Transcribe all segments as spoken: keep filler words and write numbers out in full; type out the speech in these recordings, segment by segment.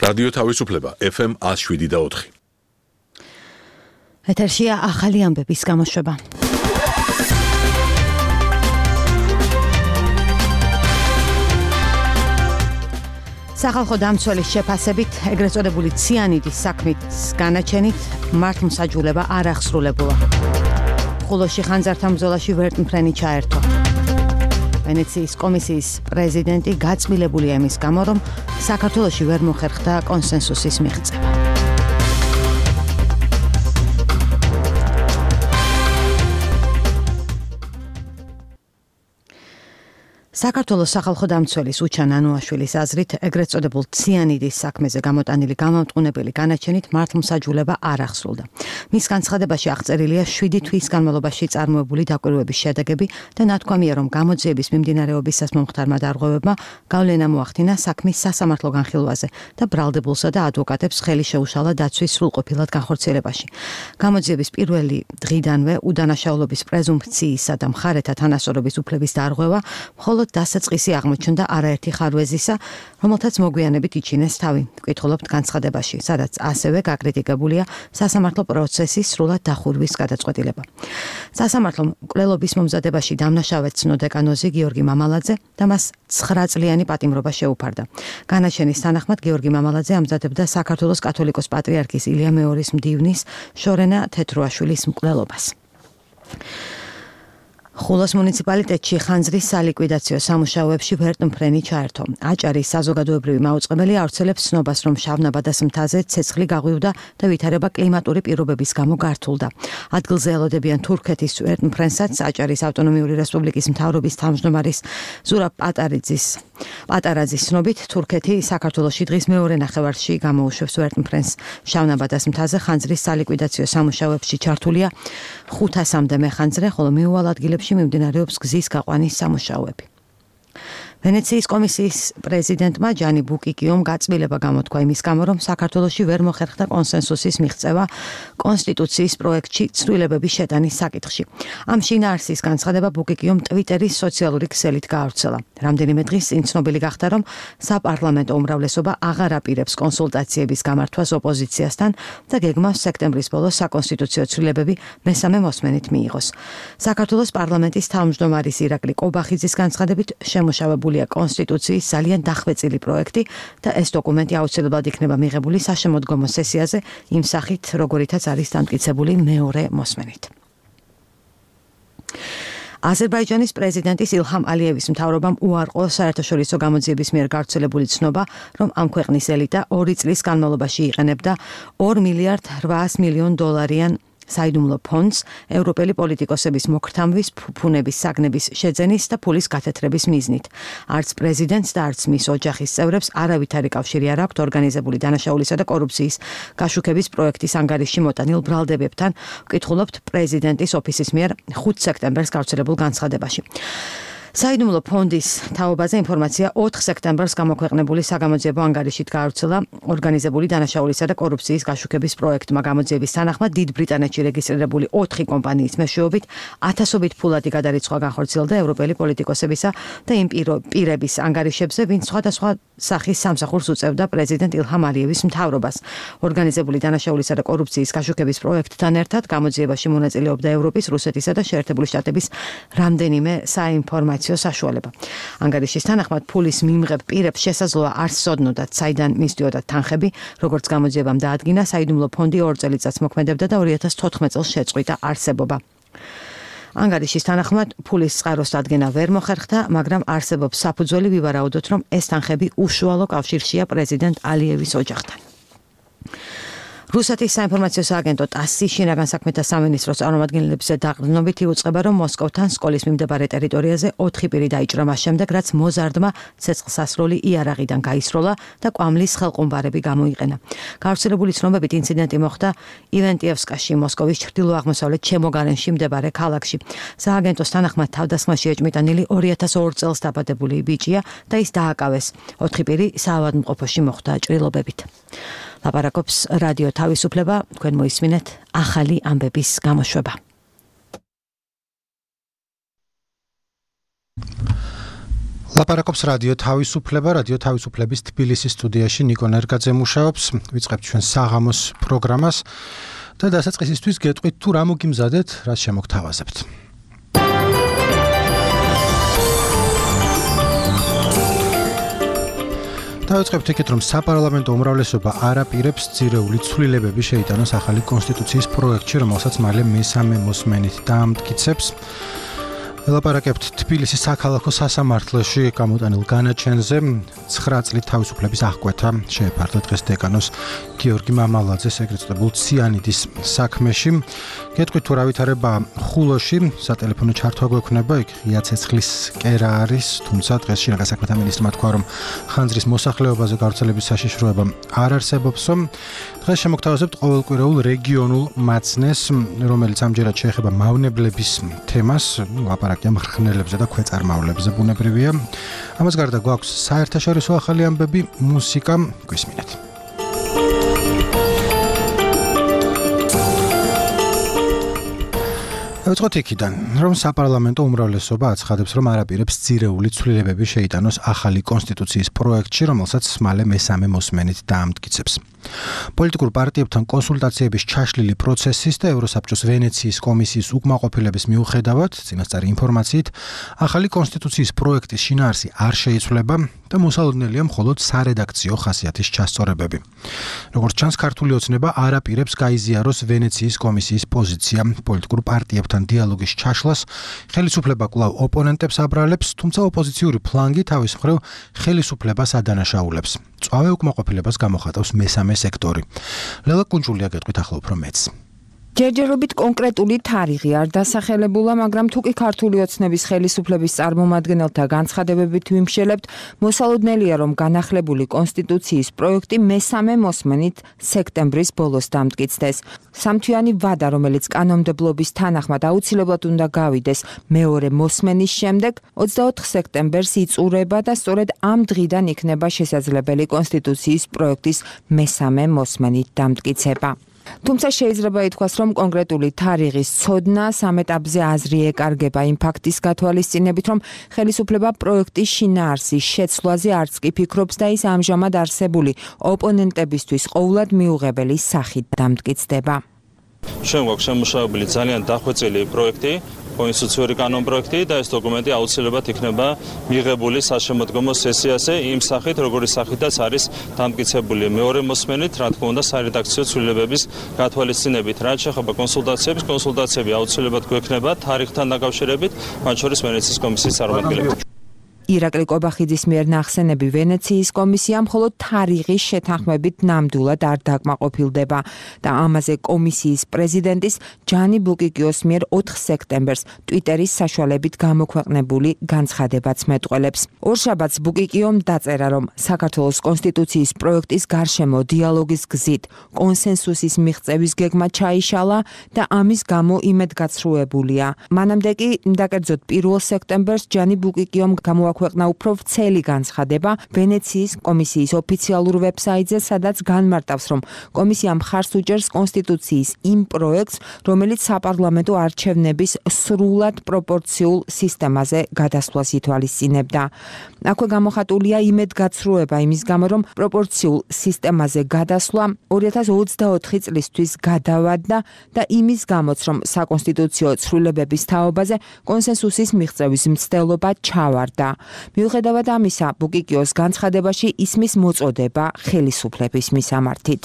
რადიო თავისუფლება ეფ ემ one oh seven და four. ეთერშია ახალი ამბების გამოშვება. სახალხო დამცველის შეფასებით ეგრეთ წოდებული ციანიდის საქმის განაჩენით მართლმსაჯულება არ აღსრულებულა. ხულოში ხანძართა ბრძოლაში ვერტმფრენი ჩაერთო. ვენეციის კომისიის პრეზიდენტი გაწმილებულია იმის გამო, რომ საქართველოში ვერ მოხერხდა კონსენსუსის მიღწევა. საქართველოს სახალხო დამცველის უჩან ანუაშვილის აზრით ეგრეთ წოდებულ ციანიდის საქმეზე გამოტანილი გამამტყუნებელი განაჩენით მართლმსაჯულება არ აღსრულდა. მის განცხადებაში აღწერილია შვიდი თვის განმავლობაში წარმოებული დაკვირვების შედეგები და ნათქვამია, რომ გამოძიების მიმდინარეობისას მომხდარმა დარღვევებმა გავლენა მოახდინა საქმის სასამართლო განხილვაზე და ბრალდებულსა და ადვოკატებს ხელი შეუშალა დაცვის სრულყოფილად განხორციელებაში. გამოძიების პირველი დღიდანვე უდანაშაულობის პრეზუმფციისა და მხარეთა თანასწორობის უფლების დარღვევა მხოლოდ დასაწყისი აღმოჩნდა არაერთი ხარვეზისა, რომელთაც მოგვიანებით იჩინეს თავი. ვკითხულობთ განცხადებაში, სადაც ასევე გაკრიტიკებულია სასამართლო პროცესის სრულად დახურვის გადაწყვეტილება. სასამართლომ მკვლელობის მომზადებაში დამნაშავედ ცნო დეკანოზი გიორგი მამალაძე და მას ცხრა წლიანი პატიმრობა შეუფარდა. განაჩენის თანახმად გიორგი მამალაძე ამზადებდა საქართველოს კათოლიკოს პატრიარქის ილია მეორის მდივნის შორენა თეთრუაშვილის მკვლელობას. ხულოს მუნიციპალიტეტში ხანძრის სალიკვიდაციო სამუშაოებში ვერტმფრენი ჩაერთო. აჭარის საზოგადოებრივი მაუწყებელი ავრცელებს ცნობას, რომ შავნაბადას მთაზე ცეცხლი გაღვივდა და ვითარება კლიმატური პირობების გამო გართულდა. ადგილზე ელოდებიან თურქეთის ვერტმფრენსაც აჭარის ავტონომიური რესპუბლიკის მთავრობის თავმჯდომარის ზურაბ პატარაძის პატარაძის ცნობით, თურქეთი საქართველოში დღის მეორე ნახევარში გამოუშვებს ვერტმფრენს. შავნაბადას მთაზე ხანძრის სალიკვიდაციო სამუშაოებში ჩართულია ხუთასამდე მეხანძრე, ხოლო მიუვალ ადგილებში მიმდინარეობს გზის გაყვანის სამუშაოები. ვენეციის კომისიის პრეზიდენტმა ჯანი ბუკიკიომ გაწმილება გამოთქვა იმის გამო, რომ საქართველოში ვერ მოხერხდა კონსენსუსის მიღწევა კონსტიტუციის პროექტში ცვლილებების შეტანის საკითხში. ამ შინაარსის განცხადება ბუკიკიომ ტვიტერის სოციალური ქსელით გაავრცელა. რამდენიმე დღის წინ ცნობილი გახდა, რომ საპარლამენტო უმრავლესობა აღარ აპირებს კონსულტაციების გამართვას ოპოზიციასთან და გეგმავს სექტემბრის ბოლოს საკონსტიტუციო ცვლილებები მესამე მოსმენით მიიღოს. საქართველოს პარლამენტის თავმჯდომარის ირაკლი კობახიძის განცხადებით შემუშავებული კონსტიტუციის ძალიან დახვეწილი პროექტი და ეს დოკუმენტი აუცილებლად იქნება მიღებული საშემოდგომო სესიაზე იმ სახით, როგორითაც არის დამტკიცებული მეორე მოსმენით. აზერბაიჯანის პრეზიდენტის ილჰამ ალიევის მთავრობამ უარყო საერთაშორისო გამოძიების მიერ გავრცელებული ცნობა, რომ ამ ქვეყნის ელიტა ორი წლის განმავლობაში იყენებდა ორ მილიარდ რვაას მილიონ დოლარიან საიდუმლო ფონდს ევროპელი პოლიტიკოსების მოქრთამვის, ფუფუნების საგნების შეძენის და ფულის გათეთრების მიზნით. არც პრეზიდენტს და არც მის ოჯახის წევრებს არავითარი კავშირი არ აქვთ ორგანიზებული დანაშაულისა და კორუფციის გაშუქების პროექტის ანგარიში მოტანილ ბრალდებებთან, ვკითხულობთ პრეზიდენტის ოფისის მიერ ხუთ სექტემბერს გავრცელებულ განცხადებაში. საიდუმლო ფონდის თაობაზე ინფორმაცია ოთხ სექტემბერს გამოქვეყნებული საგამოძიებო ანგარიშით გაავრცელა ორგანიზებული დანაშაულისა და კორუფციის გაშუქების პროექტმა. გამოძიების თანახმად დიდ ბრიტანეთში რეგისტრირებული ოთხი კომპანიის მეშვეობით ათასობით ფულადი გადარიცხვა განხორციელდა ევროპელი პოლიტიკოსებისა და იმ პირების ანგარიშებზე, ვინც სხვადასხვა სახის სამსახურს უწევდა პრეზიდენტ ილჰამ ალიევის მთავრობას. ორგანიზებული დანაშაულისა და კორუფციის გაშუქების პროექტთან ერთად გამოძიებაში მონაწილეობდა ევროპის, რუსეთისა და შეერთებული შტატების რამდენიმე საინფორმაციო საშუალება. ანგარიშის თანახმად ფულის მიმღებ პირებს შესაძლოა არ სცოდნოდათ, საიდან მისდიოდათ თანხები, როგორც გამოძიებამ დაადგინა, საიდუმლო ფონდი ორ წელიწადს მოქმედებდა და ორი ათას თოთხმეტ წელს შეწყვიტა არსებობა. ანგარიშის თანახმად ფულის წყაროს დადგენა ვერ მოხერხდა, მაგრამ არსებობს საფუძველი ვივარაუდოთ, რომ ეს თანხები უშუალო კავშირშია პრეზიდენტ ალიევის ოჯახთან. რუსეთის საინფორმაციო სააგენტო ტასის შინაგან საქმეთა სამინისტროს წარმომადგენლებზე დაყრდნობით იუწყება, რომ მოსკოვთან სკოლის მიმდებარე ტერიტორიაზე ოთხი პირი დაიჭრა მას შემდეგ, რაც მოზარდმა ცეცხლსასროლი იარაღიდან გაისროლა და კვამლის ხელყუმბარები გამოიყენა. გავრცელებული ცნობებით ინციდენტი მოხდა ივენტიევსკაში, მოსკოვის ჩრდილო-აღმოსავლეთ ჩემოგარენში მდებარე ქალაქში. სააგენტოს თანახმად თავდასხმაში ეჭმიტანილი ორი ათას ორ წელს დაბადებული ბიჭია და ის დააკავეს. ოთხი პირი საავადმყოფოში მოხვდა ჭრილობებით. ლაპარაკობს რადიო თავისუფლება, თქვენ მოისმინეთ ახალი ამბების გამოშვება. ლაპარაკობს რადიო თავისუფლება, რადიო თავისუფლების თბილისის სტუდიაში ნიკო ნერგაძე მუშაობს. ვიწყებთ ჩვენ საღამოს პროგრამას და დასაწყისისთვის გეტყვით თუ რა მოგიმზადეთ, რაც შემოგთავაზებთ. დავიწყებთ იქით, რომ საპარლამენტო უმრავლესობა არ აპირებს ძირეული ცვლილებები შეიტანოს ახალი კონსტიტუციის პროექტში, რომელსაც მალე მესამე მოსმენით დაამტკიცებს. ელაპარაკებთ თბილისის საქალაქო სასამართლოში გამოტანილ განაჩენზე. ცხრა წლით თავისუფლების აღკვეთა შეეფარდა დღეს დეკანოს გიორგი მამალაძეს ეგრეთ წოდებულ ციანიდის საქმეში. გეტყვით თუ რა ვითარება ხულოში, სატელეფონო ჩართვა გვექნება, იქ ღია ცეცხლის კერა არის, თუმცა დღეს შინაგან საქმეთა მინისტრმა თქვა, რომ ხანძრის მოსახლეობაზე გავრცელების საშიშროება არ არსებობსო. დღეს შემოგთავაზებთ ყოველკვირეულ რეგიონულ მაცნეს, რომელიც ამჯერად შეეხება მავნებლების თემას, ლაპარაკია მღრღნელებზე და ქვეწარმავლებზე, ბუნებრივია. ამას გარდა გვაქვს საერთაშორისო ახალი ამბები, მუსიკა, გვისმინეთ. დავიწყოთ იქიდან, რომ საპარლამენტო უმრავლესობა აცხადებს, რომ არ აპირებს ძირეული ცვლილებები შეიტანოს ახალი კონსტიტუციის პროექტში, რომელსაც მალე მესამე მოსმენით დაამტკიცებს. პოლიტიკურ პარტიებთან კონსულტაციების ჩაშლილი პროცესის და ევროსაბჭოს ვენეციის კომისიის უკმაყოფილების მიუხედავად, წინასწარი ინფორმაციით, ახალი კონსტიტუციის პროექტის შინაარსი არ შეიცვლება და მოსალოდნელია მხოლოდ სარედაქციო ხასიათის ჩასწორებები. როგორც ჩანს, ქართული ოცნება არ აპირებს გაიზიაროს ვენეციის კომისიის პოზიცია პოლიტიკურ პარტიებთან დიალოგის ჩაშლას, ხელისუფლება კვლავ ოპონენტებს აბრალებს, თუმცა ოპოზიციური ფლანგი თავის მხრივ ხელისუფლებას ადანაშაულებს. წვავე უკმაყოფილებას გამოხატავს მესამე სექტორი. ლელა კუნჭულია გეტყვით ახლა უფრო მეც. ჯერჯერობით კონკრეტული თარიღი არ დასახელებულა, მაგრამ თუკი ქართული ოცნების ხელისუფლების წარმომადგენელთა განცხადებებით ვიმშელებთ, მოსალოდნელია, რომ განახლებული კონსტიტუციის პროექტი მესამე მოსმენით სექტემბრის ბოლოს დამტკიცდეს. სამთვიანი ვადა, რომელიც კანონმდებლობის თანახმად აუცილებლად უნდა გავიდეს მეორე მოსმენის შემდეგ, ოცდაოთხ სექტემბერს იწურება და სწორედ ამ დღიდან იქნება შესაძლებელი კონსტიტუციის პროექტის მესამე მოსმენით დამტკიცება. თუმცა შეიძლება ითქვას, რომ კონკრეტული თარიღის ცოდნა სამ ეტაპზე აზრი ეკარგება იმ ფაქტის გათვალისწინებით, რომ ხელისუფლება პროექტის შინაარსის შეცვლაზე არც კი ფიქრობს და ის ამჟამად არსებული ოპონენტებისთვის ყოვლად მიუღებელი სახით დამტკიცდება. ჩვენ გვაქვს შემუშავებული ძალიან დახვეწილი პროექტი, კონსტიტუციური კანონპროექტი და ეს დოკუმენტი აუცილებლად იქნება მიღებული საშემოდგომო სესიაზე იმ სახით, როგორი სახითაც არის დამტკიცებული მეორე მოსმენით, რა თქმა უნდა, სარედაქციო ცვლილებების გათვალისწინებით. რაც შეეხება კონსულტაციებს, კონსულტაციები აუცილებლად გვექნება თარიღთან დაკავშირებით, მათ შორის ვენეციის კომისიის წარმომადგენლებით. ირაკლი კობახიძის მიერ ნახსენები ვენეციის კომისია მხოლოდ თარიღის შეთანხმებით ნამდვილად არ დაკმაყოფილდება და ამაზე კომისიის პრეზიდენტის ჯანი ბუკიკიოს მიერ ოთხ სექტემბერს ტვიტერის საშუალებით გამოქვეყნებული განცხადებაც მეტყველებს. ორშაბათს ბუკიკიომ დაწერა, რომ საქართველოს კონსტიტუციის პროექტის გარშემო დიალოგის გზით კონსენსუსის მიღწევის გეგმა ჩაიშალა და ამის გამო იმედგაცრუებულია. მანამდე კი, დაკერძოდ პირველ სექტემბერს ჯანი ბუკიკიომ გამოაქვეყნა ქვეყნა უფრო ვრცელი განცხადება ვენეციის კომისიის ოფიციალურ ვებსაიტზე, სადაც განმარტავს, რომ კომისია მხარს უჭერს კონსტიტუციის იმ პროექტს, რომელიც საპარლამენტო არჩევნების სრულად პროპორციულ სისტემაზე გადასვლას ითვალისწინებდა. აქვე გამოხატულია იმედგაცრუება იმის გამო, რომ პროპორციულ სისტემაზე გადასვლა ორი ათას ოცდაოთხი წლისთვის გადავადდა და იმის გამოც, რომ საკონსტიტუციო ცვლილებების თაობაზე კონსენსუსის მიღწევის მცდელობა ჩავარდა. მიუხედავად ამისა, ბუკიკიოს განცხადებაში ისმის მოწოდება ხელისუფლების მისამართით.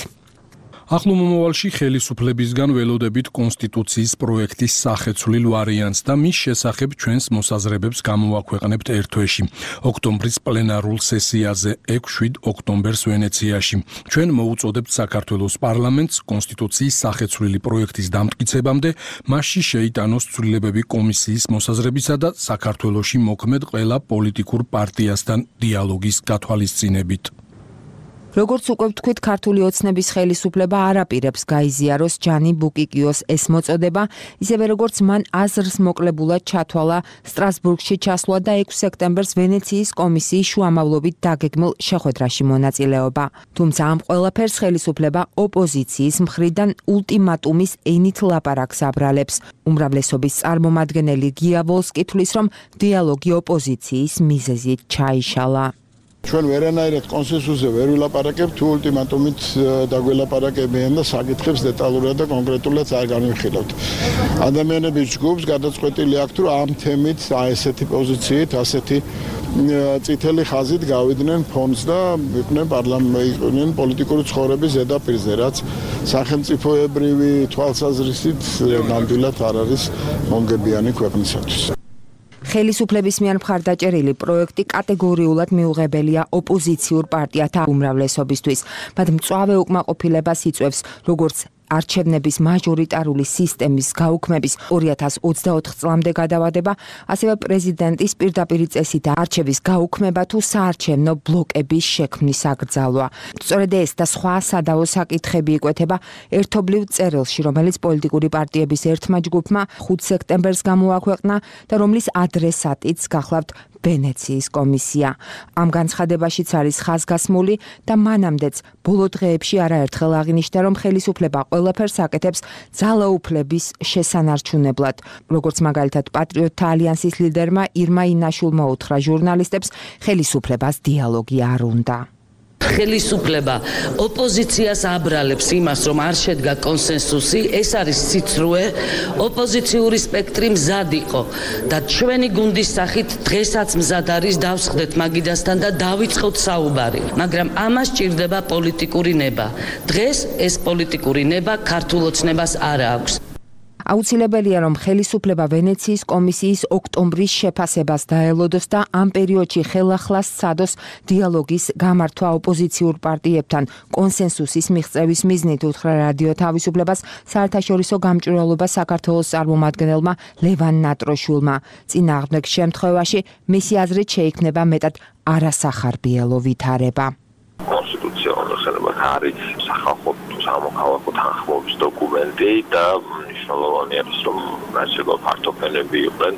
ახლო მომავალში ხელისუფლებისგან ველოდებით კონსტიტუციის პროექტის სახეცვლილ ვარიანტს და მის შესახებ ჩვენს მოსაზრებებს გამოვაქვეყნებთ ერთვეში, ოქტომბრის პლენარულ სესიაზე ექვსი ოქტომბერს ვენეციაში. ჩვენ მოუწოდებთ საქართველოს პარლამენტს კონსტიტუციის სახეცვლილი პროექტის დამტკიცებამდე, მასში შეიტანოს ცვლილებები კომისიის მოსაზრებისა და საქართველოში მოქმედ ყველა პოლიტიკურ პარტიასთან დიალოგის გათვალისწინებით. როგორც უკვე ვთქვით, ქართული ოცნების ხელისუფლება არ აპირებს გაიზიაროს ჯანი ბუკიკიოს ეს მოწოდება, ისევე როგორც მან აზრს მოკლებულად ჩათვალა სტრასბურგში ჩასვლა და ექვსი სექტემბერს ვენეციის კომისიის შუამავლობით დაგეგმილ შეხვედრაში მონაწილეობა. თუმცა ამ ყველაფერს ხელისუფლება ოპოზიციის მხრიდან ულტიმატუმის ენით ლაპარაკს აბრალებს. უმრავლესობის წარმომადგენელი გია ვოლსკი თვლის, რომ დიალოგი ოპოზიციის მიზეზით ჩაიშალა. ჩვენ ვერანაირად კონსენსუსზე ვერ ვილაპარაკებთ, თუ ულტიმატუმით დაგველაპარაკებიან და საკითხებს დეტალურად და კონკრეტულად არ განვიხილავთ. ადამიანების ჯგუფს გადაწყვეტილი აქვთ, რომ ამ თემით, აი ესეთი პოზიციით, ასეთი წითელი ხაზით გავიდნენ ფონს და იყვნენ პარლამენტის პოლიტიკური ცხოვრების ზედაპირზე, რაც სახელმწიფოებრივი თვალსაზრისით ნამდვილად არ არის მომგებიანი ქვეყნისათვის. ხელისუფლების მიერ მხარდაჭერილი პროექტი კატეგორიულად მიუღებელია ოპოზიციურ პარტიათა უმრავლესობისთვის. მათ მწვავე უკმაყოფილებას იწვევს როგორც არჩევნების მაჟორიტარული სისტემის გაუქმების ორი ათას ოცდაოთხ წლამდე გადავადება, ასევე პრეზიდენტის პირდაპირი წესით არჩევის გაუქმება თუ საარჩევნო ბლოკების შექმნის აკრძალვა. სწორედ ეს და სხვა სადავო საკითხები იკვეთება ერთობლივ წერილში, რომელიც პოლიტიკური პარტიების ერთმა ჯგუფმა ხუთი სექტემბერს გამოაქვეყნა და რომლის ადრესატიც გახლავთ ვენეციის კომისია. ამ განცხადებაშიც არის ხაზგასმული და მანამდეც ბოლო დღეებში არაერთხელ აღინიშნა, რომ ხელისუფლება ყველაფერს აკეთებს ძალაუფლების შესანარჩუნებლად. როგორც მაგალითად პატრიოტთა ალიანსის ლიდერმა ირმა ინაშულმა უთხრა ჟურნალისტებს, ხელისუფლებას დიალოგი არ უნდა. ხელისუფლება ოპოზიციას აბრალებს იმას, რომ არ შედგა კონსენსუსი, ეს არის სიცრუე, ოპოზიციური სპექტრი მზად იყო და ჩვენი გუნდის სახით დღესაც მზად არის დავსხდეთ მაგიდასთან და დავიწყოთ საუბარი, მაგრამ ამას ჭირდება პოლიტიკური ნება. დღეს ეს პოლიტიკური ნება ქართულ ოცნებას არ აქვს. აუცილებელია, რომ ხელისუფლება ვენეციის კომისიის ოქტომბრის შეფასებას დაელოდოს და ამ პერიოდში ხელახლა სცადოს დიალოგის გამართვა ოპოზიციურ პარტიებთან კონსენსუსის მიღწევის მიზნით, უთხრა რადიო თავისუფლებას საერთაშორისო გამჭვირვალობა საქართველოს წარმომადგენელმა ლევან ნატროშვილმა. წინააღმდეგ შემთხვევაში მისი აზრით შეიქმნება მეტად არასახარბიელო ვითარება. კონსტიტუციური ხელება არის სახალხო სამოქალაქო თანხმობის დოკუმენტი და მნიშვნელოვანი არის, რომ ნაციონალ პარტიები იყვნენ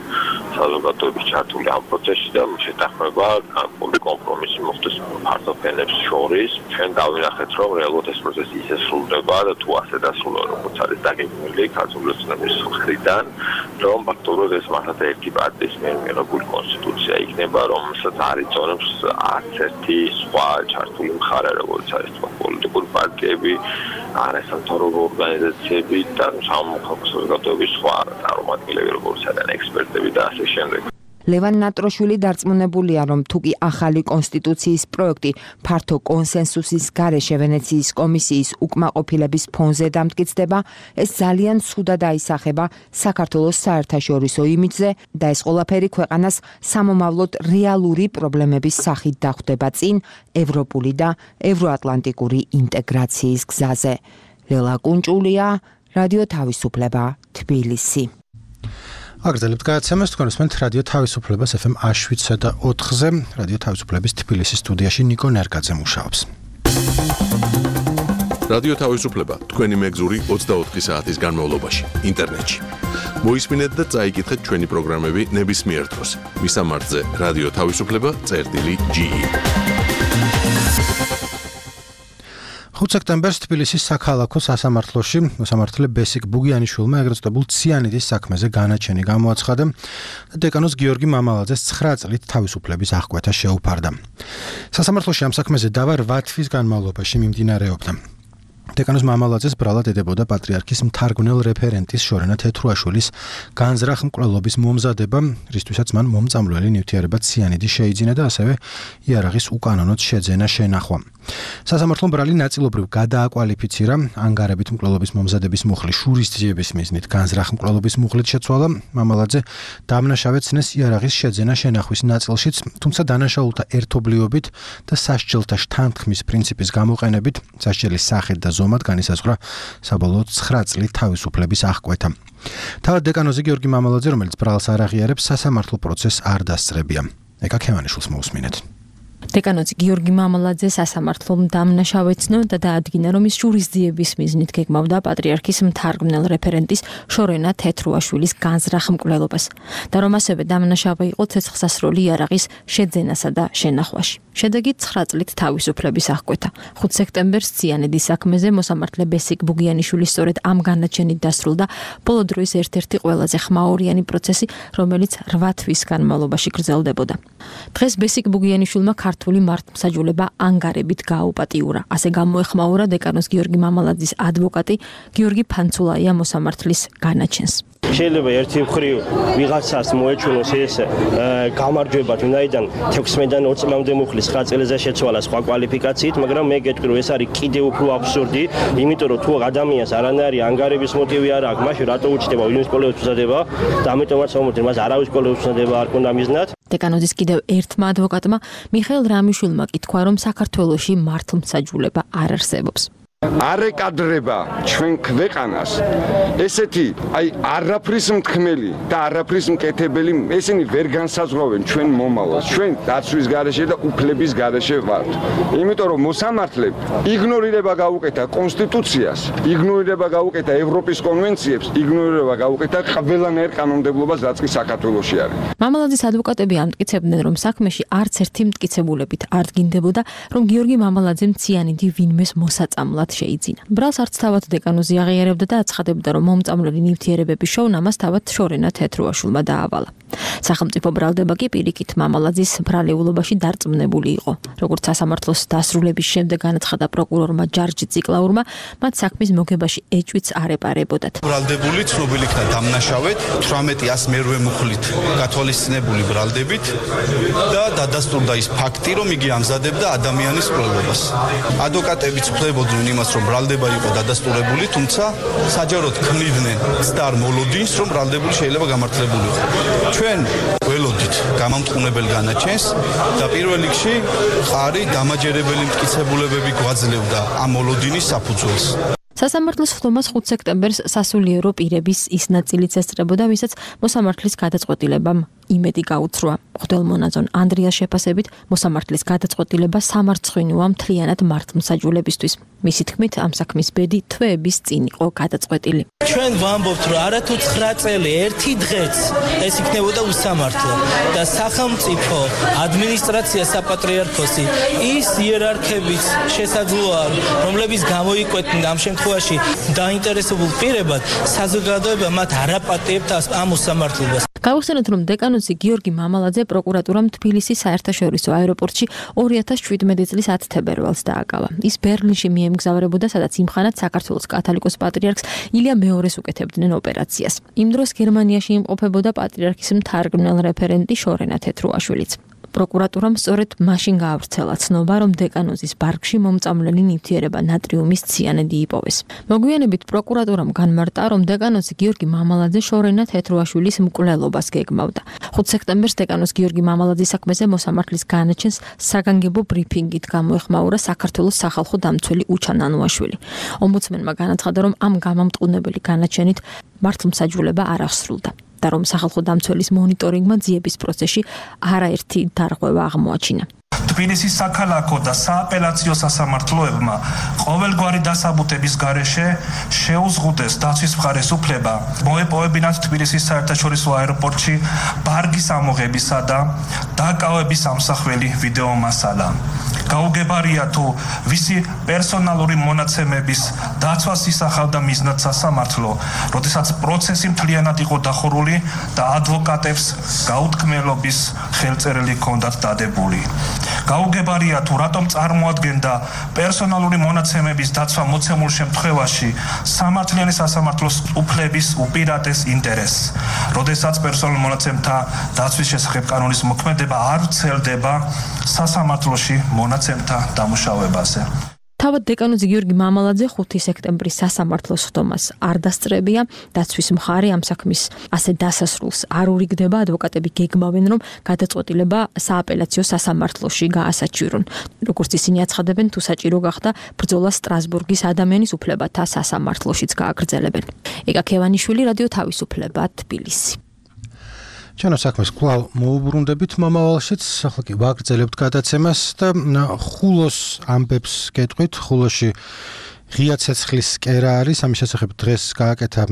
საზოგადოების ჩართული ამ პროცესში და შეთანხმება განკუთვნილი კომპრომისი მოხდეს პარტიებს შორის. ჩვენ დავინახეთ, რომ რეალურად ეს პროცესი ისე სრულდება და თუ ასე დასრულდება, როგორც არის დაგეგმილი ქართული ოცნების მხრიდან, რომ ფაქტობრივად ეს მართლა ერთი პარტიის მიერ მიღებული კონსტიტუცია იქნება, რომელსაც არ იწონებს არც ერთი სხვა ჩართული მხარე, როგორც არის პოლიტიკური პარტიები, არასამთავრობო ორგანიზაციები და სამოქალაქო საზოგადოების სხვა წარმომადგენლები, როგორც არის ექსპერტები და ასე შემდეგ. ლევან ნატროშვილი დარწმუნებულია, რომ თუკი ახალი კონსტიტუციის პროექტი ფართო კონსენსუსის გარეშე ვენეციის კომისიის უკმაყოფილების ფონზე დამტკიცდება, ეს ძალიან ცუდად აისახება საქართველოს საერთაშორისო იმიჯზე და ეს ყველაფერი ქვეყანას სამომავლოდ რეალური პრობლემების სახით დახვდება წინ ევროპული და ევროატლანტიკური ინტეგრაციის გზაზე. ლელა კუნჭულია, რადიო თავისუფლება, თბილისი. აგრძელებთ გადაცემას, თქვენ უსმენთ რადიო თავისუფლებას ეფ ემ შვიდსა და ოთხზე. რადიო თავისუფლების თბილისის სტუდიაში ნიკო ნერგაძე მუშაობს. რადიო თავისუფლება თქვენი მეგზური ოცდაოთხი საათის განმავლობაში ინტერნეტში. მოისმინეთ და წაიკითხეთ ჩვენი პროგრამები ნებისმიერ დროს. მისამართზე რადიო თავისუფლება წერტილი ჯი ი. ხუთი სექტემბერს თბილისის საქალაქო სასამართლოში მოსამართლე ბესიკ ბუგიანიშვილმა ეგრეთ წოდებულ ციანიდის საქმეზე განაჩენი გამოაცხადა და დეკანოს გიორგი მამალაძეს ცხრა წლით თავისუფლების აღკვეთა შეუფარდა. სასამართლოში ამ საქმეზე დავა რვა თვის განმავლობაში მიმდინარეობდა. დეკანოს მამალაძეს ბრალად ედებოდა პატრიარქის მთარგმნელ რეფერენტის შორენა თეთრუაშვილის განზრახ მკვლელობის მომზადება, რისთვისაც მან მომწამლველი ნივთიერება ციანიდი შეიძინა და ასევე იარაღის უკანონოდ შეძენა შენახვა. სასამართლომ ბრალი ნაწილობრივ გადააკვალიფიცირა, ანგარებით მკვლელობის მომზადების მუხლი შურისძიების მიზნით განზრახ მკვლელობის მუხლით შეცვალა. მამალაძე დამნაშავედ ცნეს იარაღის შეძენა შენახვის ნაწილშიც, თუმცა დანაშაულთა ერთობლიობით და სასჯელთა შთანთქმის პრინციპის გამოყენებით სასჯელის სახით და ზომად განისაზღვრა საბოლოოდ ცხრა წლით თავისუფლების აღკვეთა. თავად დეკანოზე გიორგი მამალაძე, რომელიც ბრალს არ აღიარებს, სასამართლო პროცესს არ დასწრებია. ეკა ქემანიშვილს მოусმინეთ. დეკანოზი გიორგი მამალაძე სასამართლომ დამნაშავეცნო და დაადგინა, რომ ის ჯურისძიების მიზნით გეგმავდა პატრიარქის მთარგმნელ რეფერენტის შორენა თეთრუაშვილის განზრახ მკვლელობას და რომ ასევე დამნაშავე იყო ცეცხლსასროლი იარაღის შეძენასა და შენახვაში. შედეგი ცხრა წლით თავისუფლების აღკვეთა. ხუთი სექტემბერს ციანედის საქმეზე მოსამართლე ბესიკ ბუგიანიშვილის სწორედ ამ განაჩენით დასრულდა ბოლო დროის ერთ-ერთი ყველაზე ხმაურიანი პროცესი, რომელიც რვა თვის განმავლობაში გრძელდებოდა. დღეს ბესიკ ბუგიანიშვილმა ქართული მართლმსაჯულება ანგარებით გააუპატიურა. ასე გამოეხმაურა დეკანოს გიორგი მამალაძის ადვოკატი გიორგი ფანცულაია მოსამართლის განაჩენს. შეიძლება ერთი მხრივ ვიღაცას მოეჩვენოს ეს გამარჯვება, ვინაიდან თექვსმეტიდან ოც წლამდე მუხლის ცხრა წელზე შეცვალა სხვა კვალიფიკაციით, მაგრამ მე გეტყვი, რომ ეს არის კიდევ უფრო აბსურდი, იმიტომ რომ თუ ადამიანს არანაირი ანგარების მოტივი არ აქვს, მაშინ რატო უჩნდება ვინმე სკოლებს უსადება და ამიტომაც ამოდი მას არავის სკოლებს უსადება არ ქონდა მიზნად. დეკანოზის კიდევ ერთმა ადვოკატმა მიხეილ რამიშვილმა კითხვა, რომ საქართველოში მართლმსაჯულება არ არსებობს. არეკადრება ჩვენ ქვეყანას ესეთი აი არაფრის მთქმელი და არაფრის მკეთებელი ესენი ვერ განსაზღვრავენ ჩვენ მომავალს ჩვენ დაცვის გარეშე და უფლების გარეშე ვართ იმიტომ რომ მოსამართლე იგნორირება გაუკეთა კონსტიტუციას იგნორირება გაუკეთა ევროპის კონვენციებს იგნორირება გაუკეთა ყველანაირ კანონმდებლობას რაც კი საქართველოში არის. მამალაძის ადვოკატები ამტკიცებდნენ, რომ საქმეში არც ერთი მტკიცებულებით არ დგინდებოდა, რომ გიორგი მამალაძემ ციანიდი ვინმეს მოსაწამლად შეიძინა. ბრალს არც თავად დეკანოზი აღიარებდა და აცხადებდა, რომ მომწამლელი ნივთიერებების შოუნა მას თავად შორენა თეთრუაშვილმა დაავალა. სახელმწიფო ბრალდება კი პირიქით მამალაძის ბრალეულობაში დარწმუნებული იყო. როგორც სასამართლოს დასრულების შემდეგ განაცხადა პროკურორმა ჯარჯი ციკლაურმა, მათ საქმის მოგებაში ეჭვიც არ ეპარებოდათ. ბრალდებული ცნობილი იქნა დამნაშავედ თვრამეტი ას მერვე მუხლით გათვალისწინებული ბრალდებით და დადასტურდა ის ფაქტი, რომ იგი ამზადებდა ადამიანის მკვლელობას. ადვოკატები ცვლებოდნენ იმას, რომ ბრალდება იყო დადასტურებული, თუმცა საჯაროდ ქმნიდნენ ცდარ მოლოდინს, რომ ბრალდებული შეიძლება გამართლებული იყო. ჩვენ ველოდით გამამტყუნებელ განაჩენს და პირველ რიგში ხარი დამაჯერებელი მტკიცებულებები გვაძლევდა ამ მოლოდინის საფუძველს. სასამართლოს ხდომას ხუთი სექტემბერს სასულიერო პირების ის ნაწილიც ესწრებოდა, ვისაც მოსამართლის გადაწყვეტილებამ იმედი გაუცროა. მღვდელმონაზონ ანდრიას შეფასებით მოსამართლის გადაწყვეტილება სამარცხვინოა მთლიანად მართლმსაჯულებისთვის. მისი თქმით, ამ საქმის ბედი თვეების წინ იყო გადაწყვეტილი. ჩვენ ვამბობთ, რომ არათუ ცხრა წელი ერთი დღეც ეს იქნებოდა უსამართლო და სახელმწიფო ადმინისტრაცია საპატრიარქოსი ის იერარქების შესაძლოა, რომლებიც გამოიკვეთნენ ამ შემთხვევაში დაინტერესებულ პირებად, საზოგადოება მათ არ აპატიებთ ამ უსამართლობას. გავიხსენოთ, რომ დეკანოზი გიორგი მამალაძე პროკურატურამ თბილისის საერთაშორისო აეროპორტში ორი ათას შვიდმეტი წლის ათი თებერვალს დააკავა. ის ბერლინში მიემგზავრებოდა, სადაც იმხანად საქართველოს კათოლიკოს პატრიარქს ილია მეორეს უკეთებდნენ ოპერაციას. იმ დროს გერმანიაში იმყოფებოდა პატრიარქის მთარგმნელ რეფერენტი შორენა თეთრუაშვილიც. პროკურატურამ სწორედ მაშინ გაავრცელა ცნობა, რომ დეკანოზის ბარგში მომწამლელი ნივთიერება ნატრიუმის ციანიდი იპოვეს. მოგვიანებით პროკურატურამ განმარტა, რომ დეკანოზი გიორგი მამალაძე შორენა თეთრუაშვილის მკვლელობას გეგმავდა. ხუთი სექტემბერს დეკანოს გიორგი მამალაძის საქმეზე მოსამართლის განაჩენს საგანგებო ბრიფინგით გამოეხმაურა საქართველოს სახალხო დამცველი უჩა ნანუაშვილი. ომბუდსმენმა განაცხადა, რომ ამ გამამტყუნებელი განაჩენით მართლმსაჯულება არ აღსრულდა. და რომ სახალხო დამცველის მონიტორინგმა ძიების პროცესში არაერთი დარღვევა აღმოაჩინა. თბილისის საქალაქო და სააპელაციო სასამართლოებმა ყოველგვარი დასაბუთების გარეშე შეუზღუდეს დაცვის მხარეს უფლება მოეპოვებინათ თბილისის საერთაშორისო აეროპორტში ბარგის ამოღებისა და დაკავების ამსახველი ვიდეო მასალა. გაუგებარია თუ ვისი პერსონალური მონაცემების დაცვას ისახავდა მიზნად სასამართლო, როდესაც პროცესი მთლიანად იყო დახურული და ადვოკატებს გაუთქმელობის ხელწერილი ჰქონდათ დადებული. გაუგებარია თუ რატომ წარმოადგენდა პერსონალური მონაცემების დაცვა მოცემულ შემთხვევაში სამართლიანი სასამართლოს უფლების უპირატეს ინტერესს, როდესაც პერსონალურ მონაცემთა დაცვის შესახებ კანონის მოქმედება არ ვრცელდება სასამართლოში მონაცემთა დამუშავებაზე. თავად დეკანოზი გიორგი მამალაძე ხუთი სექტემბრის სასამართლოს ხდომას არ დასწრებია. დაცვის მხარე ამ საქმის ასე დასასრულს არ ურიგდება. ადვოკატები გეგმავენ, რომ გადაწყვეტილება სააპელაციო სასამართლოში გაასაჩივრონ. როგორც ისინი აცხადებენ, თუ საჭირო გახდა, ბრძოლა სტრასბურგის ადამიანის უფლებათა სასამართლოშიც გააგრძელებენ. ეკა ქევანიშვილი, რადიო თავისუფლება, თბილისი. ჩვენო საქმეს კვლავ მოუბრუნდებით მომავალშიც, ახლა კი ვაგრძელებთ გადაცემას და ხულოს ამბებს გეტყვით, ხულოში ღია ცეცხლის კერა არის, ამის შესახებ დღეს გააკეთა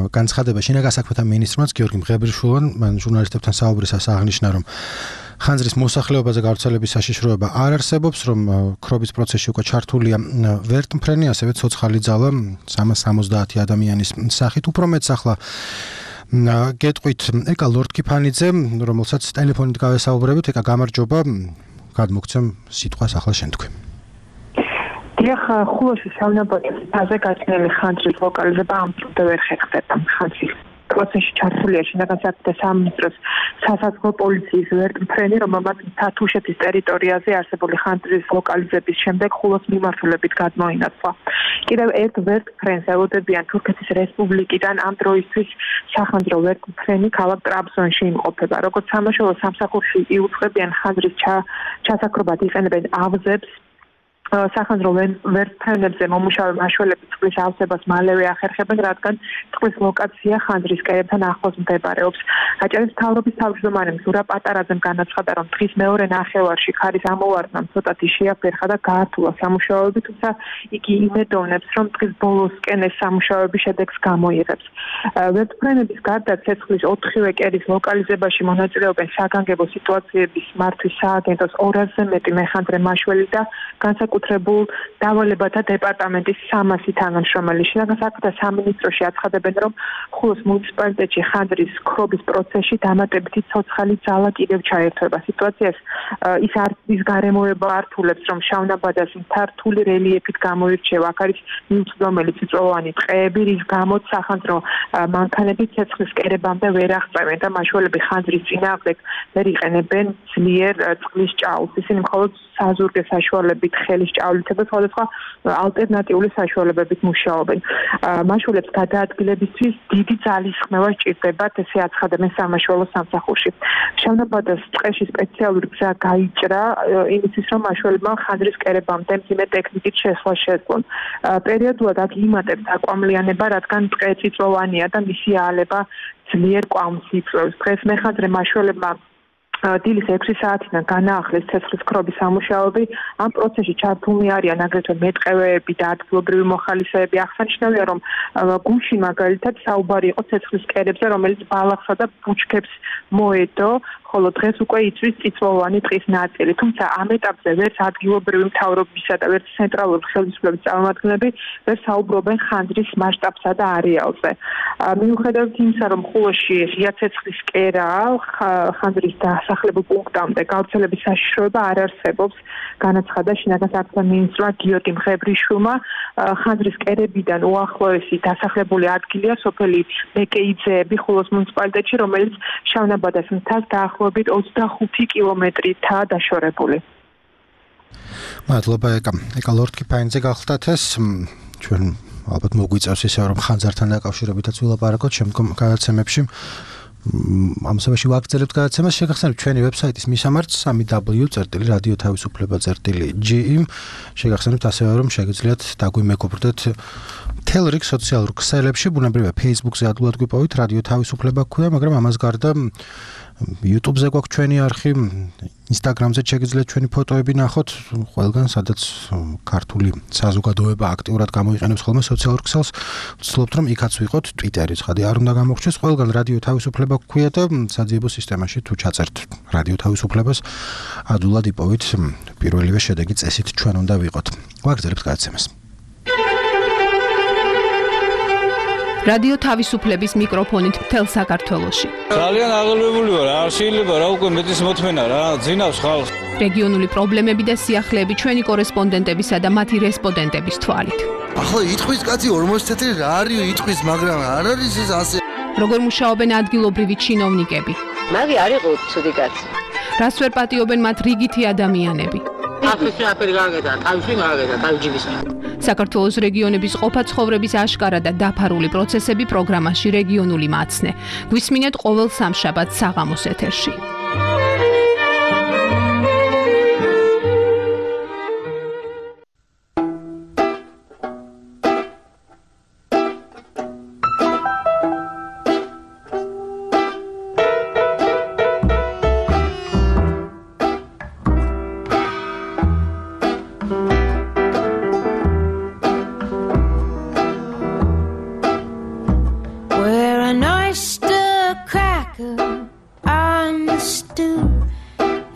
განცხადება შინაგან საქმეთა მინისტრმა გიორგი მღებრიშვილმა, მან ჟურნალისტებთან საუბრისას აღნიშნა, რომ ხანძრის მოსახლეობაზე გავრცელების საშიშროება არ არსებობს, რომ ქრობის პროცესში უკვე ჩართულია ვერტმფრენი, ასევე ცოცხალი ძალა სამას სამოცდაათი ადამიანის სახით. უფრო მეც ახლა გეტყვით ეკა ლორდ-კიფანიძე, რომელსაც ტელეფონით გავესაუბრებით. ეკა გამარჯობა, გადმოგცემ სიტყვას ახლა შენ თქვი. დიახ, ხულოში საუნაბოძის ფაზე გაჩნილი ხანძრის ლოკალიზება ამ დრომდე ვერ ხერხდება. ხანძრის პროცესში ჩართულია შინაგან საქმეთა სამინისტროს სასაზღვრო პოლიციის ვერტმფრენი, რომელმაც თათუშეთის ტერიტორიაზე არსებული ხანძრის ლოკალიზების შემდეგ ხულოს მიმართულებით გადმოინაცვლა. კიდევ ერთ ვერტმფრენს ელოდებიან თურქეთის რესპუბლიკიდან ამ დროისთვის სახანძრო ვერტმფრენი ქალაქ ტრაბზონში იმყოფება. როგორც სამაშველო სამსახურში იუწყებიან ხანძრის ჩასაქრობად იყენებენ ავზებს, სახანძრო ვერტმფრენებზე მომუშავე მაშველები წყლის ავზებას მალევე ახერხებენ, რადგან წყლის ლოკაცია ხანძრის კერებთან ახლოს მდებარეობს. აჭარის მთავრობის თავმჯდომარე ზურა პატარაძემ განაცხადა, რომ დღის მეორე ნახევარში ქარის ამოვარდნამ ცოტათი შეაფერხა და გაართულა სამუშაოები, თუმცა იგი იმედოვნებს, რომ დღის ბოლოსკენ ეს სამუშაოები შედეგს გამოიღებს. ვერტმფრენების გარდა ცეცხლის ოთხივე კერის ლოკალიზებაში მონაწილეობენ საგანგებო სიტუაციების მართვის სააგენტოს ორასზე მეტი მეხანდრე მაშველი და განსაკუთრებულ დავალებათა დეპარტამენტის სამასი თანამშრომელი. შინაგან საქმეთა სამინისტროში აცხადებენ, რომ ხულოს მუნიციპალიტეტში ხანძრის ქრობის პროცესში დამატებითი ცოცხალი ძალა კიდევ ჩაერთვება. სიტუაციას ის არის გარემოება ართულებს, რომ შავნაბადას მართული რელიეფით გამოირჩევა. აქ არის მიუწვდომელი წიწვოვანი ტყეები, რის გამოც სახანძრო მანქანები ცეცხლის კერებამდე ვერ აღწევენ და მაშველები ხანძრის წინააღმდეგ ვერ იყენებენ ძლიერ წყლის ჭაულს. ისინი მხოლოდ საზურგე საშუალებით ხელის ჭავლით და სხვადასხვა ალტერნატიული საშუალებებით მუშაობენ. მაშველებს გადაადგილებისთვის დიდი ძალის ხმევა სჭირდებათ, ესე აცხადებენ სამაშველო სამსახურში. შავნაბადას ტყეში სპეციალური გზა გაიჭრა იმისთვის, რომ მაშველებმა ხანძრის კერებამდე მძიმე ტექნიკით შესვლა შეძლონ. პერიოდულად აქ იმატებს აკვამლიანება, რადგან ტყე წიწვოვანია და მისი აალება ძლიერ კვამს იწვევს. დღეს მეხანძრე მაშველებმა დილის ექვსი საათიდან განაახლეს ცეცხლის ქრობის სამუშაოები. ამ პროცესში ჩართულნი არიან აგრეთვე მეტყევეები და ადგილობრივი მოხალისეები. აღსანიშნავია, რომ გუშინ მაგალითად საუბარი იყო ცეცხლის კერებზე, რომელიც ბალახსა და ბუჩქებს მოედო, ხოლო დღეს უკვე იწვის წიწვოვანი ტყის ნაწილი. თუმცა ამ ეტაპზე ვერც ადგილობრივი მთავრობისა და ვერც ცენტრალური ხელისუფლების წარმომადგენლები ვერ საუბრობენ ხანძრის მასშტაბსა და არეალზე. მიუხედავად იმისა, რომ ხულოში ღია ცეცხლის კერა ხანძრის დასახლებულ პუნქტამდე გავრცელების საშიშროება არ არსებობს, განაცხადა შინაგან საქმეთა მინისტრმა გიორგი მღებრიშვილმა. ხანძრის კერებიდან უახლოესი დასახლებული ადგილია სოფელი მეკეიძეები ხულოს მუნიციპალიტეტში, რომელიც შავნაბადას მთას დაახლოებით ოცდახუთი კილომეტრითაა დაშორებული. მადლობა ეკა. ეკა ლორდ-კიფანიძე გახლდათ ეს ჩვენ ალბათ მოგვიწევს ისე რომ ხანძართან დაკავშირებითაც ვილაპარაკოთ შემდგომ გადაცემებში. ამ სამაში ვაგრძელებთ გადაცემას, შეგახსენებთ ჩვენი ვებსაიტის მისამართს სამი დაბლიუ წერტილი რადიო თავისუფლება წერტილი ჯი იმ. შეგახსენებთ ასევე რომ შეგიძლიათ დაგვიმეგობრდეთ მთელ რიგ სოციალურ ქსელებში, ბუნებრივია Facebook-ზე ადვილად გვიპოვით, რადიო თავისუფლება ქვია, მაგრამ ამას გარდა YouTube-ზე გვაქვს ჩვენი არხი, Instagram-ზე შეგიძლიათ ჩვენი ფოტოები ნახოთ, ყველგან სადაც ქართული საზოგადოება აქტიურად გამოიყენებს ხოლმე სოციალურ ქსელს, ვცდილობთ რომ იქაც ვიყოთ, Twitter-იც ხადი არ უნდა გამოგჩეს, ყველგან რადიო თავისუფლება ქვია და საძიებო სისტემაში თუ ჩაწერთ რადიო თავისუფლებას, ადვილად იპოვით პირველივე შედეგი წესით ჩვენ უნდა ვიყოთ. ვაგრძელებთ გადაცემას. რადიო თავისუფლების მიკროფონით მთელ საქართველოში. ძალიან აღელვებული ვარ, არ შეიძლება რა უკვე მეტის მოთმენა რა, ძინავს ხალხს. რეგიონული პრობლემები და სიახლეები ჩვენი კორესპონდენტებისა და მათი რესპონდენტების თვალით. ახლა იტყვის კაცი ორმოცი თეთრი რა არის იტყვის, მაგრამ არ არის ეს ასე. როგორ მუშაობენ ადგილობრივი ჩინოვნიკები? მაგი არ იყო ცუდი კაცი. რას ვერ პატიობენ მათ რიგითი ადამიანები? ახლა აფერი გაგედა, თავში მაგედა, თავჯიბის. საქართველოს რეგიონების ყოფა ცხოვრების აშკარა და დაფარული პროცესები პროგრამაში რეგიონული მაცნე. გვისმინეთ ყოველ სამშაბათს საღამოს ეთერში.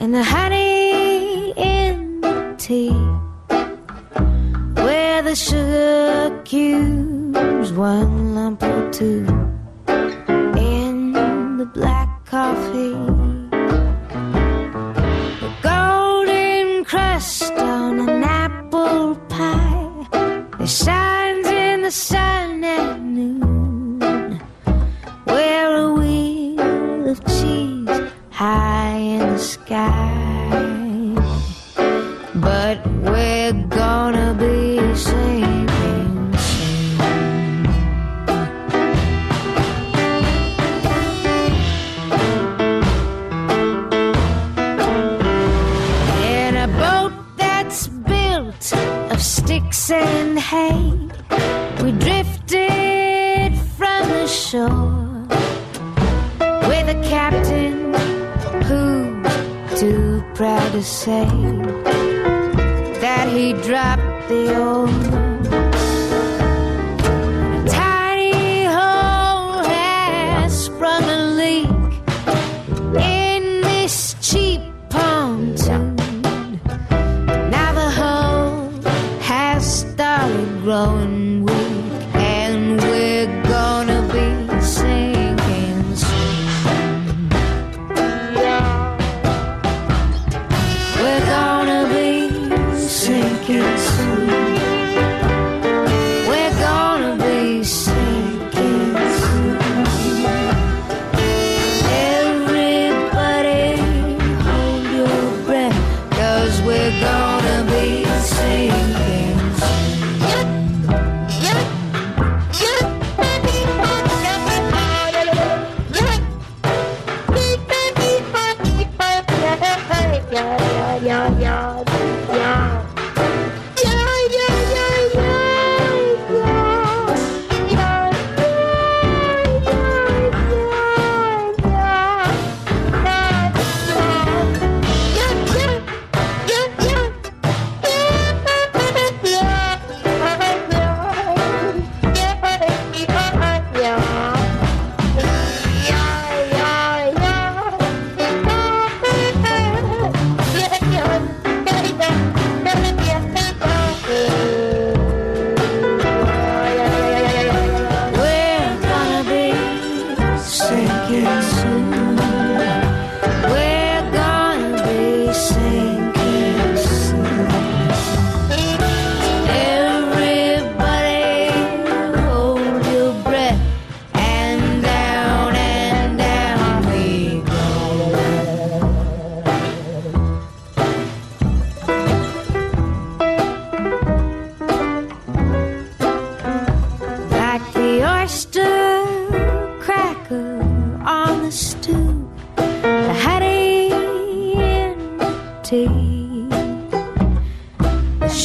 and the honey in the tea, where the sugar cubes one lump or two in the black coffee, the golden crust on an apple pie, it shines in the sun at noon, where a wheel of cheese high in the sky, but we're gonna be sinking soon. In a boat that's built of sticks and hay, we drifted from the shore with a captain who's too proud to say that he dropped the oar. A tiny hole has sprung a leak in this cheap pontoon. Now the hole has started growing weak, and we're gonna be sinking soon. We're gonna be sinking soon. We're gonna be sinking soon. Everybody hold your breath, 'cause we're gonna be sinking soon.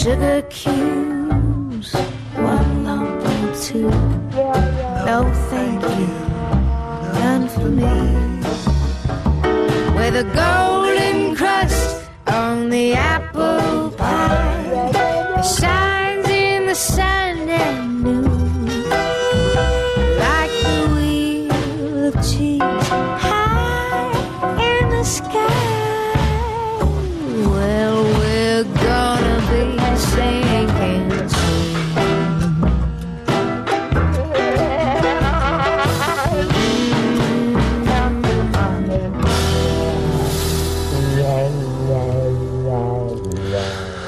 Sugar cubes, one lump or two. No, thank you, none for me. With a golden crust on the apple pie, it shines in the sun at noon, like the wheel of cheese high in the sky. Well, we're gonna be sinking soon.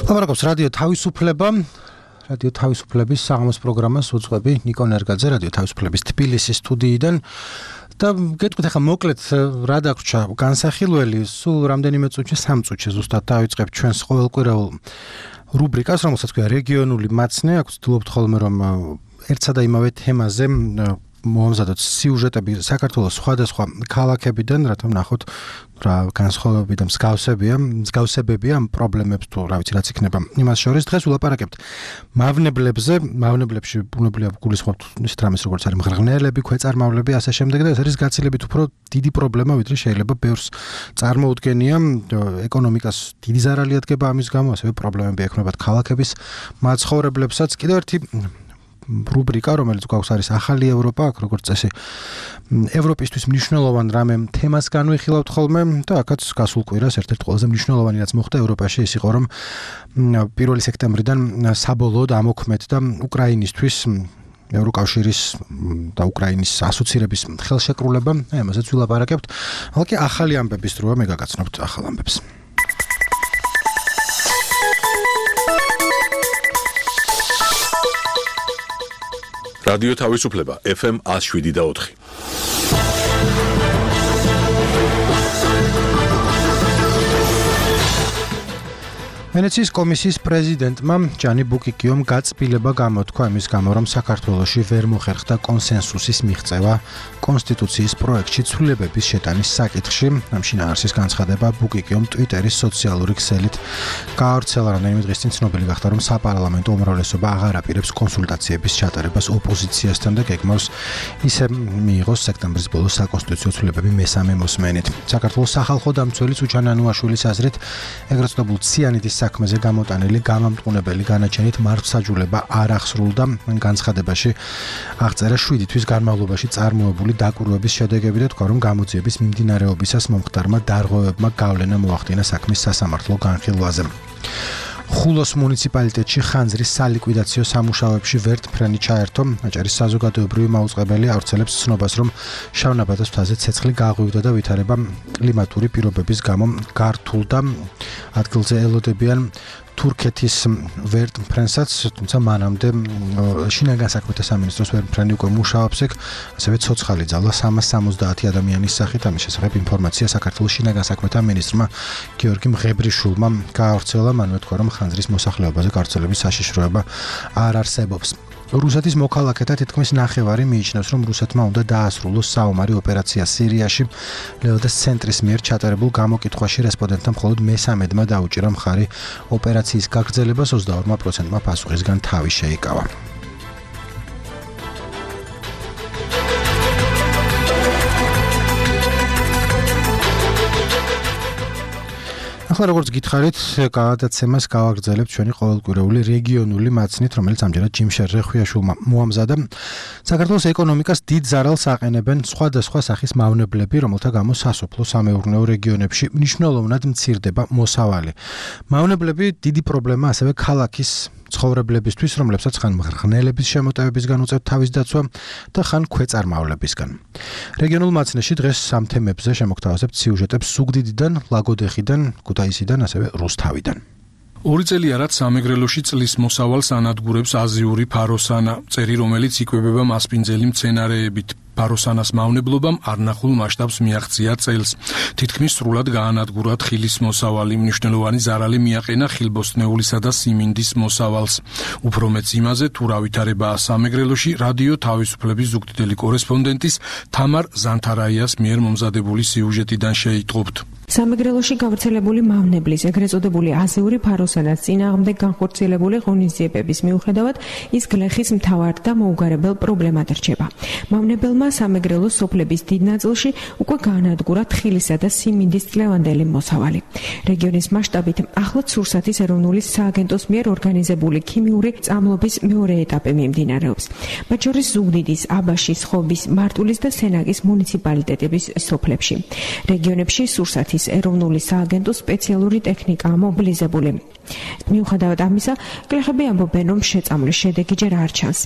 ლაპარაკობს რადიო თავისუფლება, რადიო თავისუფლების საღამოს პროგრამას უძღვები ნიკო ნერგაძე რადიო თავისუფლების თბილისის სტუდიიდან. და გეტყვით ახლა მოკლედ რა დაგვრჩა განსახილველი, სულ რამდენიმე წუთში, სამ წუთში ზუსტად დავიწყებ ჩვენს ყოველკვირეულ რუბრიკას, რომელსაც ქვია რეგიონული მაცნე. აქ ვცდილობთ ხოლმე რომ ერთსა და იმავე თემაზე მომზადოთ სიუჟეტები საქართველოს სხვადასხვა ქალაქებიდან, რათა ვნახოთ რა განსხვავებები და მსგავსებია, მსგავსებებია ამ პრობლემებს თუ რა ვიცი რაც იქნება. იმას შორის დღეს ვილაპარაკებთ მავნებლებზე, მავნებლებში ბუნებრივია გულისხმობთ ისეთ რამეს როგორც არის მღრღნელები, ქვეწარმავლები, ასე შემდეგ და ეს არის გაცილებით უფრო დიდი პრობლემა, ვიდრე შეიძლება ბევრს წარმოუდგენია. ეკონომიკას დიდი ზარალი ადგება ამის გამო, ასევე პრობლემები ექმნებათ ქალაქების მაცხოვრებლებსაც. კიდევ ერთი რუბრიკა, რომელიც გვაქვს არის ახალი ევროპა, აქ როგორც წესი ევროპისთვის მნიშვნელოვან რამე თემას განვიხილავთ ხოლმე და აქაც გასულ კვირას ერთ-ერთი ყველაზე მნიშვნელოვანი რაც მოხდა ევროპაში ის იყო რომ პირველი სექტემბრიდან საბოლოოდ ამოქმედდა უკრაინისთვის ევროკავშირის და უკრაინის ასოცირების ხელშეკრულება, აი ამაზეც ვილაპარაკებთ. ახლა ახალი ამბების დროა, მე გაგაცნობთ ახალ ამბებს. რადიო თავისუფლება ეფ ემ one oh seven და four. ვენეციის კომისიის პრეზიდენტმა ჯანი ბუკიკიომ გაწმილება გამოთქვა იმის გამო, რომ საქართველოში ვერ მოხერხდა კონსენსუსის მიღწევა კონსტიტუციის პროექტში ცვლილებების შეტანის საკითხში. ამ შინაარსის განცხადება ბუკიკიომ ტვიტერის სოციალური ქსელით გაავრცელა, რამდენიმე დღის წინ ცნობილი გახდა, რომ საპარლამენტო უმრავლესობა აღარ აპირებს კონსულტაციების ჩატარებას ოპოზიციასთან და გეგმავს ისე მიიღოს სექტემბრის ბოლოს საკონსტიტუციო ცვლილებები მესამე მოსმენით. საქართველოს სახალხო დამცველის უჩან ანუაშვილის აზრით, ეგრეთ წოდებულ ციანიდის საქმეზე გამოტანილი გამამტყუნებელი განაჩენით მართლმსაჯულება არ ახსრულდა. განცხადებაში აღწერა შვიდი თვის განმავლობაში წარმოებული დაკვირვების შედეგები და თქვა, რომ გამოძიების მიმდინარეობისას მომხდარმა დარღვევებმა გავლენა მოახდინა საქმის სასამართლო განხილვაზე. ხულოს მუნიციპალიტეტში ხანძრის სალიკვიდაციო სამუშაოებში ვერტმფრენი ჩაერთო. აჭარის საზოგადოებრივი მაუწყებელი ავრცელებს ცნობას, რომ შავნაბადის მთაზე ცეცხლი გაღვივდა და ვითარება კლიმატური პირობების გამო გართულდა. ადგილზე ელოდებიან თურქეთის ვერტმფრენსაც, თუმცა მანამდე შინაგან საქმეთა სამინისტროს ვერტმფრენი უკვე მუშაობს ეგ, ასევე ცოცხალი ძალა სამას სამოცდაათი ადამიანის სახით. ამის შესახებ ინფორმაცია საქართველოს შინაგან საქმეთა მინისტრმა გიორგი მღებრიშვილმა გაავრცელა. მანვე თქვა, რომ ხანძრის მოსახლეობაზე გავრცელების საშიშროება არ არსებობს. რუსეთის მოქალაქეთა თითქმის ნახევარი მიიჩნევს, რომ რუსეთმა უნდა დაასრულოს საომარი ოპერაცია სირიაში. ლეოდას ცენტრის მიერ ჩატარებულ გამოკითხვაში რესპონდენტთა მხოლოდ მესამედმა დაუჭირა მხარი ოპერაციის გაგრძელებას, ოცდაორ პროცენტმა პასუხისგან თავი შეიკავა. ახლა როგორც გითხარით, გადაცემას გავაგრძელებთ ჩვენი ყოველკვირეული რეგიონული მაცნით, რომელიც ამჯერად ჯიმშერ რეხვიაშვილმა მოამზადა. საქართველოს ეკონომიკას დიდ ზარალს აყენებენ სხვადასხვა სახის მავნებლები, რომელთა გამო სასოფლო-სამეურნეო რეგიონებში მნიშვნელოვნად მცირდება მოსავალი. მავნებლები დიდი პრობლემა ასევე ქალაქის ცხოვრებლებისთვის, რომლებსაც ხან მღრღნელების შემოტევებისგან უწევთ თავის დაცვა და ხან ქვეწარმავლებისგან. რეგიონულ მაცნეში დღეს ამ თემებზე შემოგთავაზებთ სიუჟეტებს ზუგდიდიდან, ლაგოდეხიდან, ქუთაისიდან, ასევე რუსთავიდან. ორი წელია რაც სამეგრელოში წლის მოსავალს ანადგურებს აზიური ფაროსანა, წერი რომელიც იკვებება მასპინძელი მცენარეებით. ფაროსანას მავნებლობამ არნახულ მასშტაბს მიაღწია წელს. თითქმის სრულად გაანადგურა თხილის მოსავალი, მნიშვნელოვანი ზარალი მიაყენა ხილბოსტნეულისა და სიმინდის მოსავალს. უფრო მეც იმაზე, თუ რა ვითარებაა სამეგრელოში, რადიო თავისუფლების ზუგდიდელი კორესპონდენტის თამარ ზანთარაიას მიერ მომზადებული სიუჟეტიდან შეიტყობთ. სამეგრელოში გავრცელებული მავნებლის, ეგრეთ წოდებული აზიური ფაროსანას წინააღმდეგ განხორციელებული ღონისძიებების მიუხედავად, ის გლეხის მთავარ და მოუგარებელ პრობლემად რჩება. მავნებელმა სამეგრელოს სოფლების დიდ ნაწილში უკვე გაანადგურა თხილისა და სიმინდის წლევანდელი მოსავალი. რეგიონის მასშტაბით ახლაც სურსათის ეროვნული სააგენტოს მიერ ორგანიზებული ქიმიური წამლობის მეორე ეტაპი მიმდინარეობს. მათ შორის ზუგდიდის, აბაშის, ხობის, მარტვილის და სენაკის მუნიციპალიტეტების სოფლებში. რეგიონებში სურსათის ეროვნული სააგენტოს სპეციალური ტექნიკაა მობილიზებული. მიუხედავად ამისა, გლეხები ამბობენ, რომ შეწამვლის შედეგი ჯერ არ ჩანს.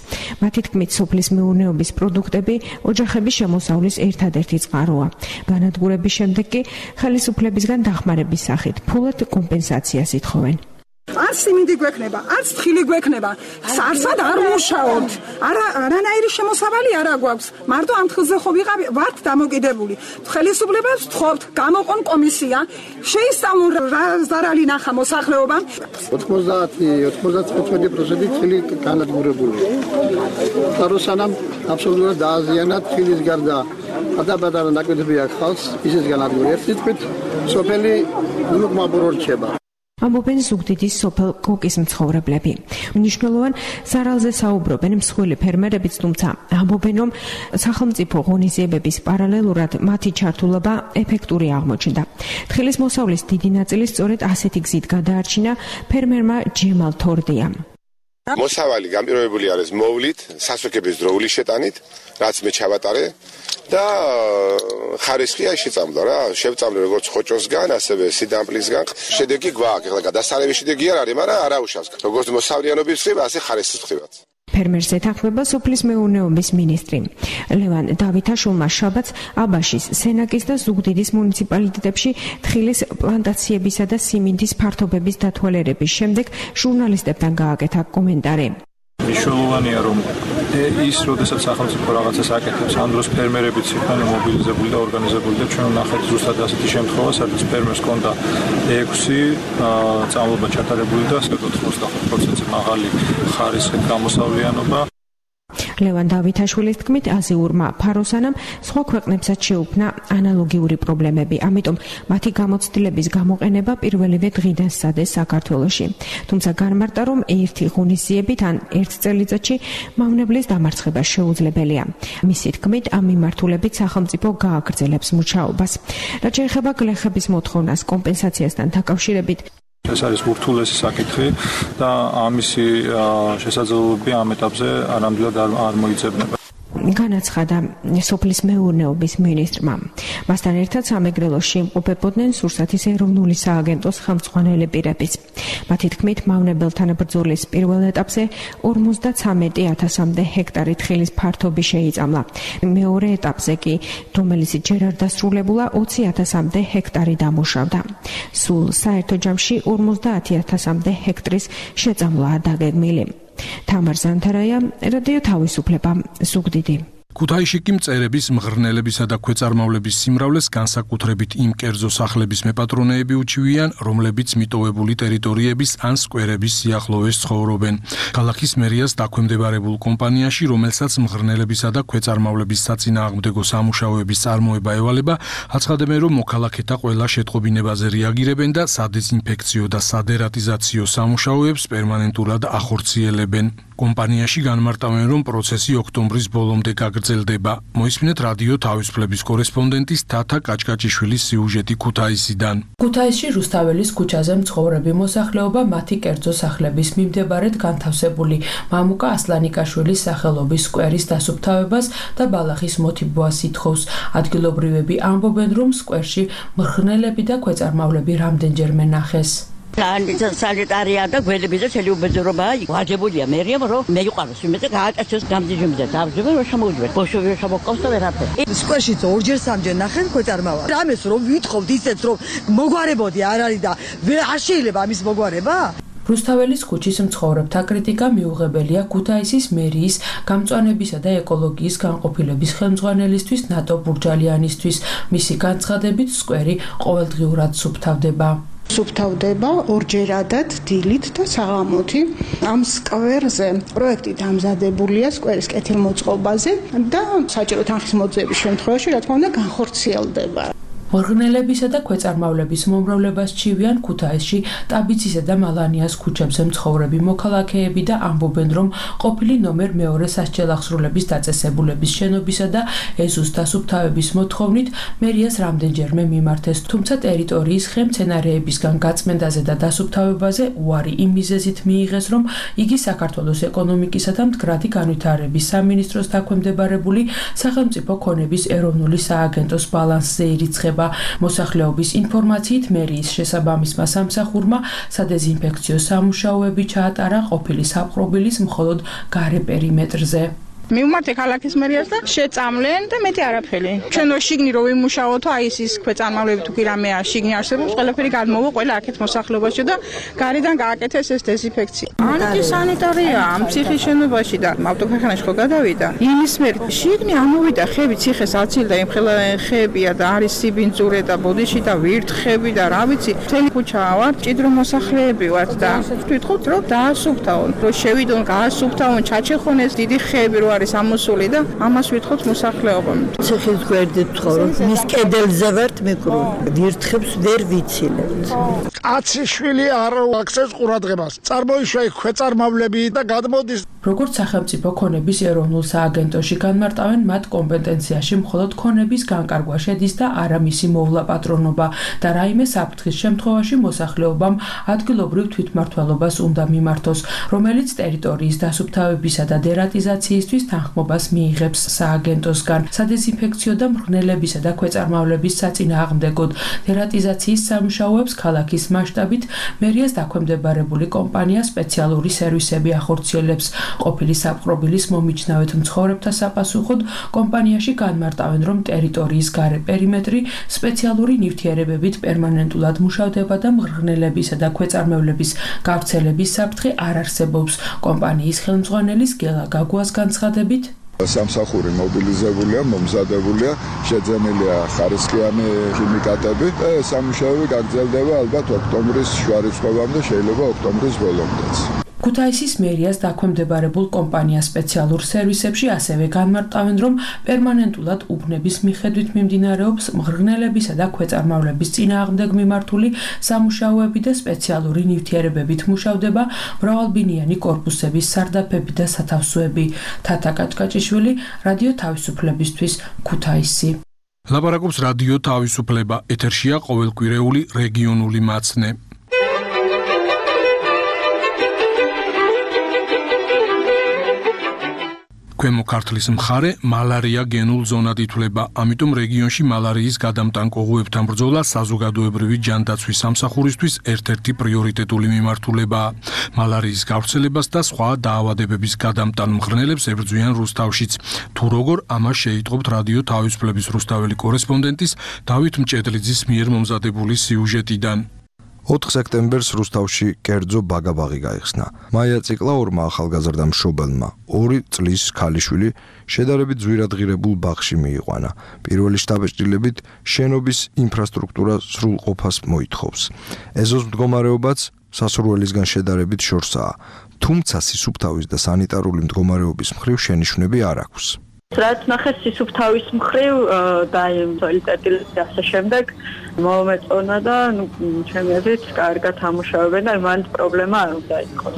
მათი თქმით, სოფლის მეურნეობის პროდუქტები ოჯახების შემოსავლის ერთადერთი წყაროა. განადგურების შემდეგ კი ხელისუფლებისგან დახმარების სახით ფულად კომპენსაციას ითხოვენ. არც სიმინდი გვექნება, არც თხილი გვექნება. სარსად არ მუშაობთ. არა არანაირი შემოსავალი არ აგვაქვს. მარტო ამ თხილზე ხო ვიყავ ვართ დამოკიდებული. ხელისუფლებას ვთხოვთ, გამოყონ კომისია, შეისწავლონ რა ზარალი ნახა მოსახლეობამ. ოთხმოცდაათი ოცდათხუთმეტი პროცენტი თხილი განადგურებულია. ფაროსანამ აბსოლუტურად დააზიანა თხილის გარდა პატარ-პატარა ნაკვეთები აქვს ხალხს, ისიც განადგურდა. ერთი თქმით, სოფელი უკმაბურო რჩება. ამბობენ ზუგდიდის სოფელ კოკის მცხოვრებლები. მნიშვნელოვან ზარალზე საუბრობენ მსხვილი ფერმერებიც, თუმცა ამბობენ, რომ სახელმწიფო ღონისძიებების პარალელურად მათი ჩართულობა ეფექტური აღმოჩნდა. თხილის მოსავლის დიდი ნაწილი სწორედ ასეთი გზით გადაარჩინა ფერმერმა ჯემალ თორდიამ. მოსავალი გამპირობებული არის მოვლით, სასუქების დროული შეტანით, რაც მე ჩავატარე და ხარისხი აი შეწამდა რა. შევწამლე როგორც ხოჭოსგან, ასევე სიდამპლისგან. შედეგი გვაქვს. ეხლა გადასარევი შედეგი არ არის, მაგრამ არაუშავს. როგორც მოსავლიანობის ხდება, ასე ხარისხის ხდებაც. ფერმერს ეთანხმება სოფლის მეურნეობის მინისტრი. ლევან დავითაშვილმა შაბათს აბაშის, სენაკის და ზუგდიდის მუნიციპალიტეტებში თხილის პლანტაციებისა და სიმინდის ფართობების დათვალიერების შემდეგ ჟურნალისტებთან გააკეთა კომენტარი. მნიშვნელოვანია რომ ის როდესაც სახელმწიფო რაღაცას აკეთებს, ამ დროს ფერმერებიც იქნება მობილიზებული და ორგანიზებული და ჩვენ ვნახეთ ზუსტად ასეთი შემთხვევა, სადაც ფერმერს ჰქონდა ექვსი წამლობა ჩატარებული და ოცდახუთ პროცენტზე მაღალი ხარისხით გამოსავლიანობა. ლევან დავითაშვილის თქმით, აზიურმა ფაროსანამ სხვა ქვეყნებსაც შეუქმნა ანალოგიური პრობლემები, ამიტომ მათი გამოცდილების გამოყენება პირველივე დღიდან სცადეს საქართველოში. თუმცა განმარტა, რომ ერთი ღონისძიებით ან ერთ წელიწადში მავნებლის დამარცხება შეუძლებელია. მისი თქმით, ამ მიმართულებით სახელმწიფო გააგრძელებს მუშაობას. რაც შეეხება გლეხების მოთხოვნას კომპენსაციასთან დაკავშირებით, ეს არის ურთულესი საკითხი და ამისი შესაძლებლობები ამ ეტაპზე არამდვილად არ მოიძებნება. განაცხადა სოფლის მეურნეობის მინისტრმა. მასთან ერთად სამეგრელოში იმყოფებოდნენ სურსათის ეროვნული სააგენტოს ხელმძღვანელი პირებიც. მათი თქმით, მავნებელთან ბრძოლის პირველ ეტაპზე ორმოცდაცამეტი ათასამდე ჰექტარი თხილის ფართობი შეიწამლა. მეორე ეტაპზე კი, რომელიც ჯერ არ დასრულებულა, ოცი ათასამდე ჰექტარი დამუშავდა. სულ საერთო ჯამში ორმოცდაათი ათასამდე ჰექტრის შეწამვლაა დაგეგმილი. თამარ ზანთარაია, რადიო თავისუფლება, ზუგდიდი. ქუთაისში კი მწერების, მღრღნელებისა და ქვეწარმავლების სიმრავლეს განსაკუთრებით იმ კერძო სახლების მეპატრონეები უჩივიან, რომლებიც მიტოვებული ტერიტორიების ან სკვერების სიახლოვეს ცხოვრობენ. ქალაქის მერიას დაქვემდებარებულ კომპანიაში, რომელსაც მღრღნელებისა და ქვეწარმავლების საწინააღმდეგო სამუშაოების წარმოება ევალება, აცხადებენ, რომ მოქალაქეთა ყველა შეტყობინებაზე რეაგირებენ და სადეზინფექციო და სადერატიზაციო სამუშაოებს პერმანენტულად ახორციელებენ. კომპანიაში განმარტავენ, რომ პროცესი ოქტომბრის ბოლომდე გაგრძელდება. მოისმინეთ რადიო თავისუფლების კორესპონდენტის თათა კაჭკაჭიშვილის სიუჟეტი ქუთაისიდან. ქუთაისში რუსთაველის ქუჩაზე მცხოვრები მოსახლეობა მათი კერძო სახლების მიმდებარედ განთავსებული მამუკა ასლანიკაშვილის სახელობის სკვერის დასუფთავებას და ბალახის მოთიბვას ითხოვს. ადგილობრივები ამბობენ, რომ სკვერში მღრღნელები და ქვეწარმავლები რამდენჯერმე ნახეს. სანიტარია და გველების და მთელი უბედურებაა ვაჯებულია მერიამ რომ მეიყვანოს იმედა გააკეთოს გამდიჟებდა დავჯერა რომ შემოვიდეს ბოშოვი შემოყავს და ვერაფერი სკვერში ორჯერ სამჯერ ნახენ ქვეწარმავალ რამეს რომ ვითხოვთ ისეთ რომ მოგვარებოდი არ არის და არ შეიძლება ამის მოგვარება. რუსთაველის ქუჩის მცხოვრებთა კრიტიკა მიუღებელია ქუთაისის მერიის გამწვანებისა და ეკოლოგიის განყოფილების ხელმძღვანელისთვის ნატო ბურჯალიანისთვის. მისი განცხადებით სკვერი ყოველდღიურად სუფთავდება. სუფთავდება ორჯერადად დილით და საღამოთი. ამ სკვერზე პროექტი დამზადებულია სკვერის კეთილმოწყობაზე და საჭირო თანხის მოძიების შემთხვევაში, რა თქმა უნდა, განხორციელდება. მღრღნელებისა და ქვეწარმავლების მომრავლებას ჩივიან ქუთაისში ტაბიცისა და მალანიას ქუჩებზე მცხოვრები მოქალაქეები და ამბობენ, რომ ყოფილი ნომერ მეორე სასჯელახსრულების დაწესებულების შენობისა და ეზოს დასუფთავების მოთხოვნით მერიას რამდენჯერმე მიმართეს, თუმცა ტერიტორიის ხემცენარეებისგან გაწმენდაზე და დასუფთავებაზე უარი იმ მიზეზით მიიღეს, რომ იგი საქართველოს ეკონომიკისა და მდგრადი განვითარების სამინისტროს დაქვემდებარებული სახელმწიფო ქონების ეროვნული სააგენტოს ბალანსზე ირიცხება. მოსახლეობის ინფორმაციით მერიის შესაბამისმა სამსახურმა სადეზინფექციო სამუშაოები ჩაატარა ყოფილი საპყრობილის მხოლოდ გარე პერიმეტრზე. მივმართე ქალაქის მერიას და შეწამლენ და მეტი არაფერი. ჩვენ შიგნი რო ვიმუშაოთო, აი ის ქვეწარმავლები თუ კი რამეა შიგნი არსებობს, ყველაფერი გადმოვა ყველა აქეთ მოსახლეობაში და გარედან გააკეთეს ეს დეზინფექცია. ანტისანიტარია ამ ციხის შენობაში და ავტოქარხანაში ხო გადავიდა. იმის მერ შიგნი ამოვიდა ხები, ციხეს აცილდა, იმ ხელა ხებია და არის სიბინძურე და ბოდიში და ვირთხები და რა ვიცი. მთელი ქუჩა ვარ, ჭიდრო მოსახლეები ვართ და ვთქვით რომ დაასუფთავონ, რომ შევიდონ, გაასუფთავონ, ჩაჩეხონ ეს დიდი ხები რო არის ამოსული და ამას ვითხოვთ მოსახლეობამ. ციხის გვერდით ცხოვრობ, მის კედელზე ვართ მიკრული. ვირთხებს ვერ ვიცილებთ. კაცი შვილი არ აქცევს ყურადღებას. წარმოიშვა იქ ქვეწარმავლები და გადმოდის როგორც სახელმწიფო ქონების ეროვნულ სააგენტოში განმარტავენ, მათ კომპეტენციაში მხოლოდ ქონების განკარგვა შედის და არა მისი მოვლა პატრონობა და რაიმე საფრთხის შემთხვევაში მოსახლეობამ ადგილობრივ თვითმმართველობას უნდა მიმართოს, რომელიც ტერიტორიის დასუფთავებისა და დერატიზაციისთვის თანხმობას მიიღებს სააგენტოსგან. სადეზინფექციო და მღრღნელებისა და ქვეწარმავლების საწინააღმდეგოდ დერატიზაციის სამუშაოებს ქალაქის მასშტაბით მერიას დაქვემდებარებული კომპანია სპეციალური სერვისები ახორციელებს. ყოფილი საპყრობილის მომიჯნავედ მცხოვრებთა საპასუხოდ კომპანიაში განმარტავენ, რომ ტერიტორიის გარე პერიმეტრი სპეციალური ნივთიერებებით პერმანენტულად მუშავდება და მღრღნელებისა და ქვეწარმავლების გავრცელების საფრთხე არ არსებობს. კომპანიის ხელმძღვანელის გელა გაგუას განცხადებით, სამსახური მობილიზებულია, მომზადებულია, შეძენილია ხარისხიანი ქიმიკატები და სამუშაოები გაგრძელდება ალბათ ოქტომბრის შუა რიცხვებამდე, შეიძლება ოქტომბრის ბოლომდეც. ქუთაისის მერიას დაქვემდებარებულ კომპანია სპეციალურ სერვისებში ასევე განმარტავენ, რომ პერმანენტულად უბნების მიხედვით მიმდინარეობს მღრღნელებისა და ქვეწარმავლების წინააღმდეგ მიმართული სამუშაოები და სპეციალური ნივთიერებებით მუშავდება მრავალბინიანი კორპუსების სარდაფები და სათავსოები. თათა კაჭკაჭიშვილი, რადიო თავისუფლებისთვის, ქუთაისი. ლაპარაკობს რადიო თავისუფლება, ეთერშია ყოველკვირეული რეგიონული მაცნე. ქვემო ქართლის მხარე მალარია გენულ ზონად ითვლება, ამიტომ რეგიონში მალარიის გადამტან კოღოებთან ბრძოლა საზოგადოებრივი ჯანდაცვის სამსახურისთვის ერთ-ერთი პრიორიტეტული მიმართულებაა. მალარიის გავრცელებას და სხვა დაავადებების გადამტან მღრღნელებს ებრძვიან რუსთავშიც. თუ როგორ, ამას შეიტყობთ რადიო თავისუფლების რუსთაველი კორესპონდენტის დავით მჭედლიძის მიერ მომზადებული სიუჟეტიდან. ოთხ სექტემბერს რუსთავში კერძო ბაგაბაღი გაიხსნა. მაია ციკლაურმა ახალგაზრდა მშობელმა ორი წლის ქალიშვილი შედარებით ძვირადღირებულ ბაღში მიიყვანა. პირველი შთაბეჭდილებით შენობის ინფრასტრუქტურა სრულყოფას მოითხოვს. ეზოს მდგომარეობაც სასურველისგან შედარებით შორსაა, თუმცა სისუფთავის და სანიტარული მდგომარეობის მხრივ შენიშვნები არ აქვს. რაც ნახეს სისუფთავის მხრივ და სოლიდარიტეტის და ასე შემდეგ მომეწონა და ჩემი აზრით კარგად ამუშავებენ და მანდ პრობლემა არ უნდა იყოს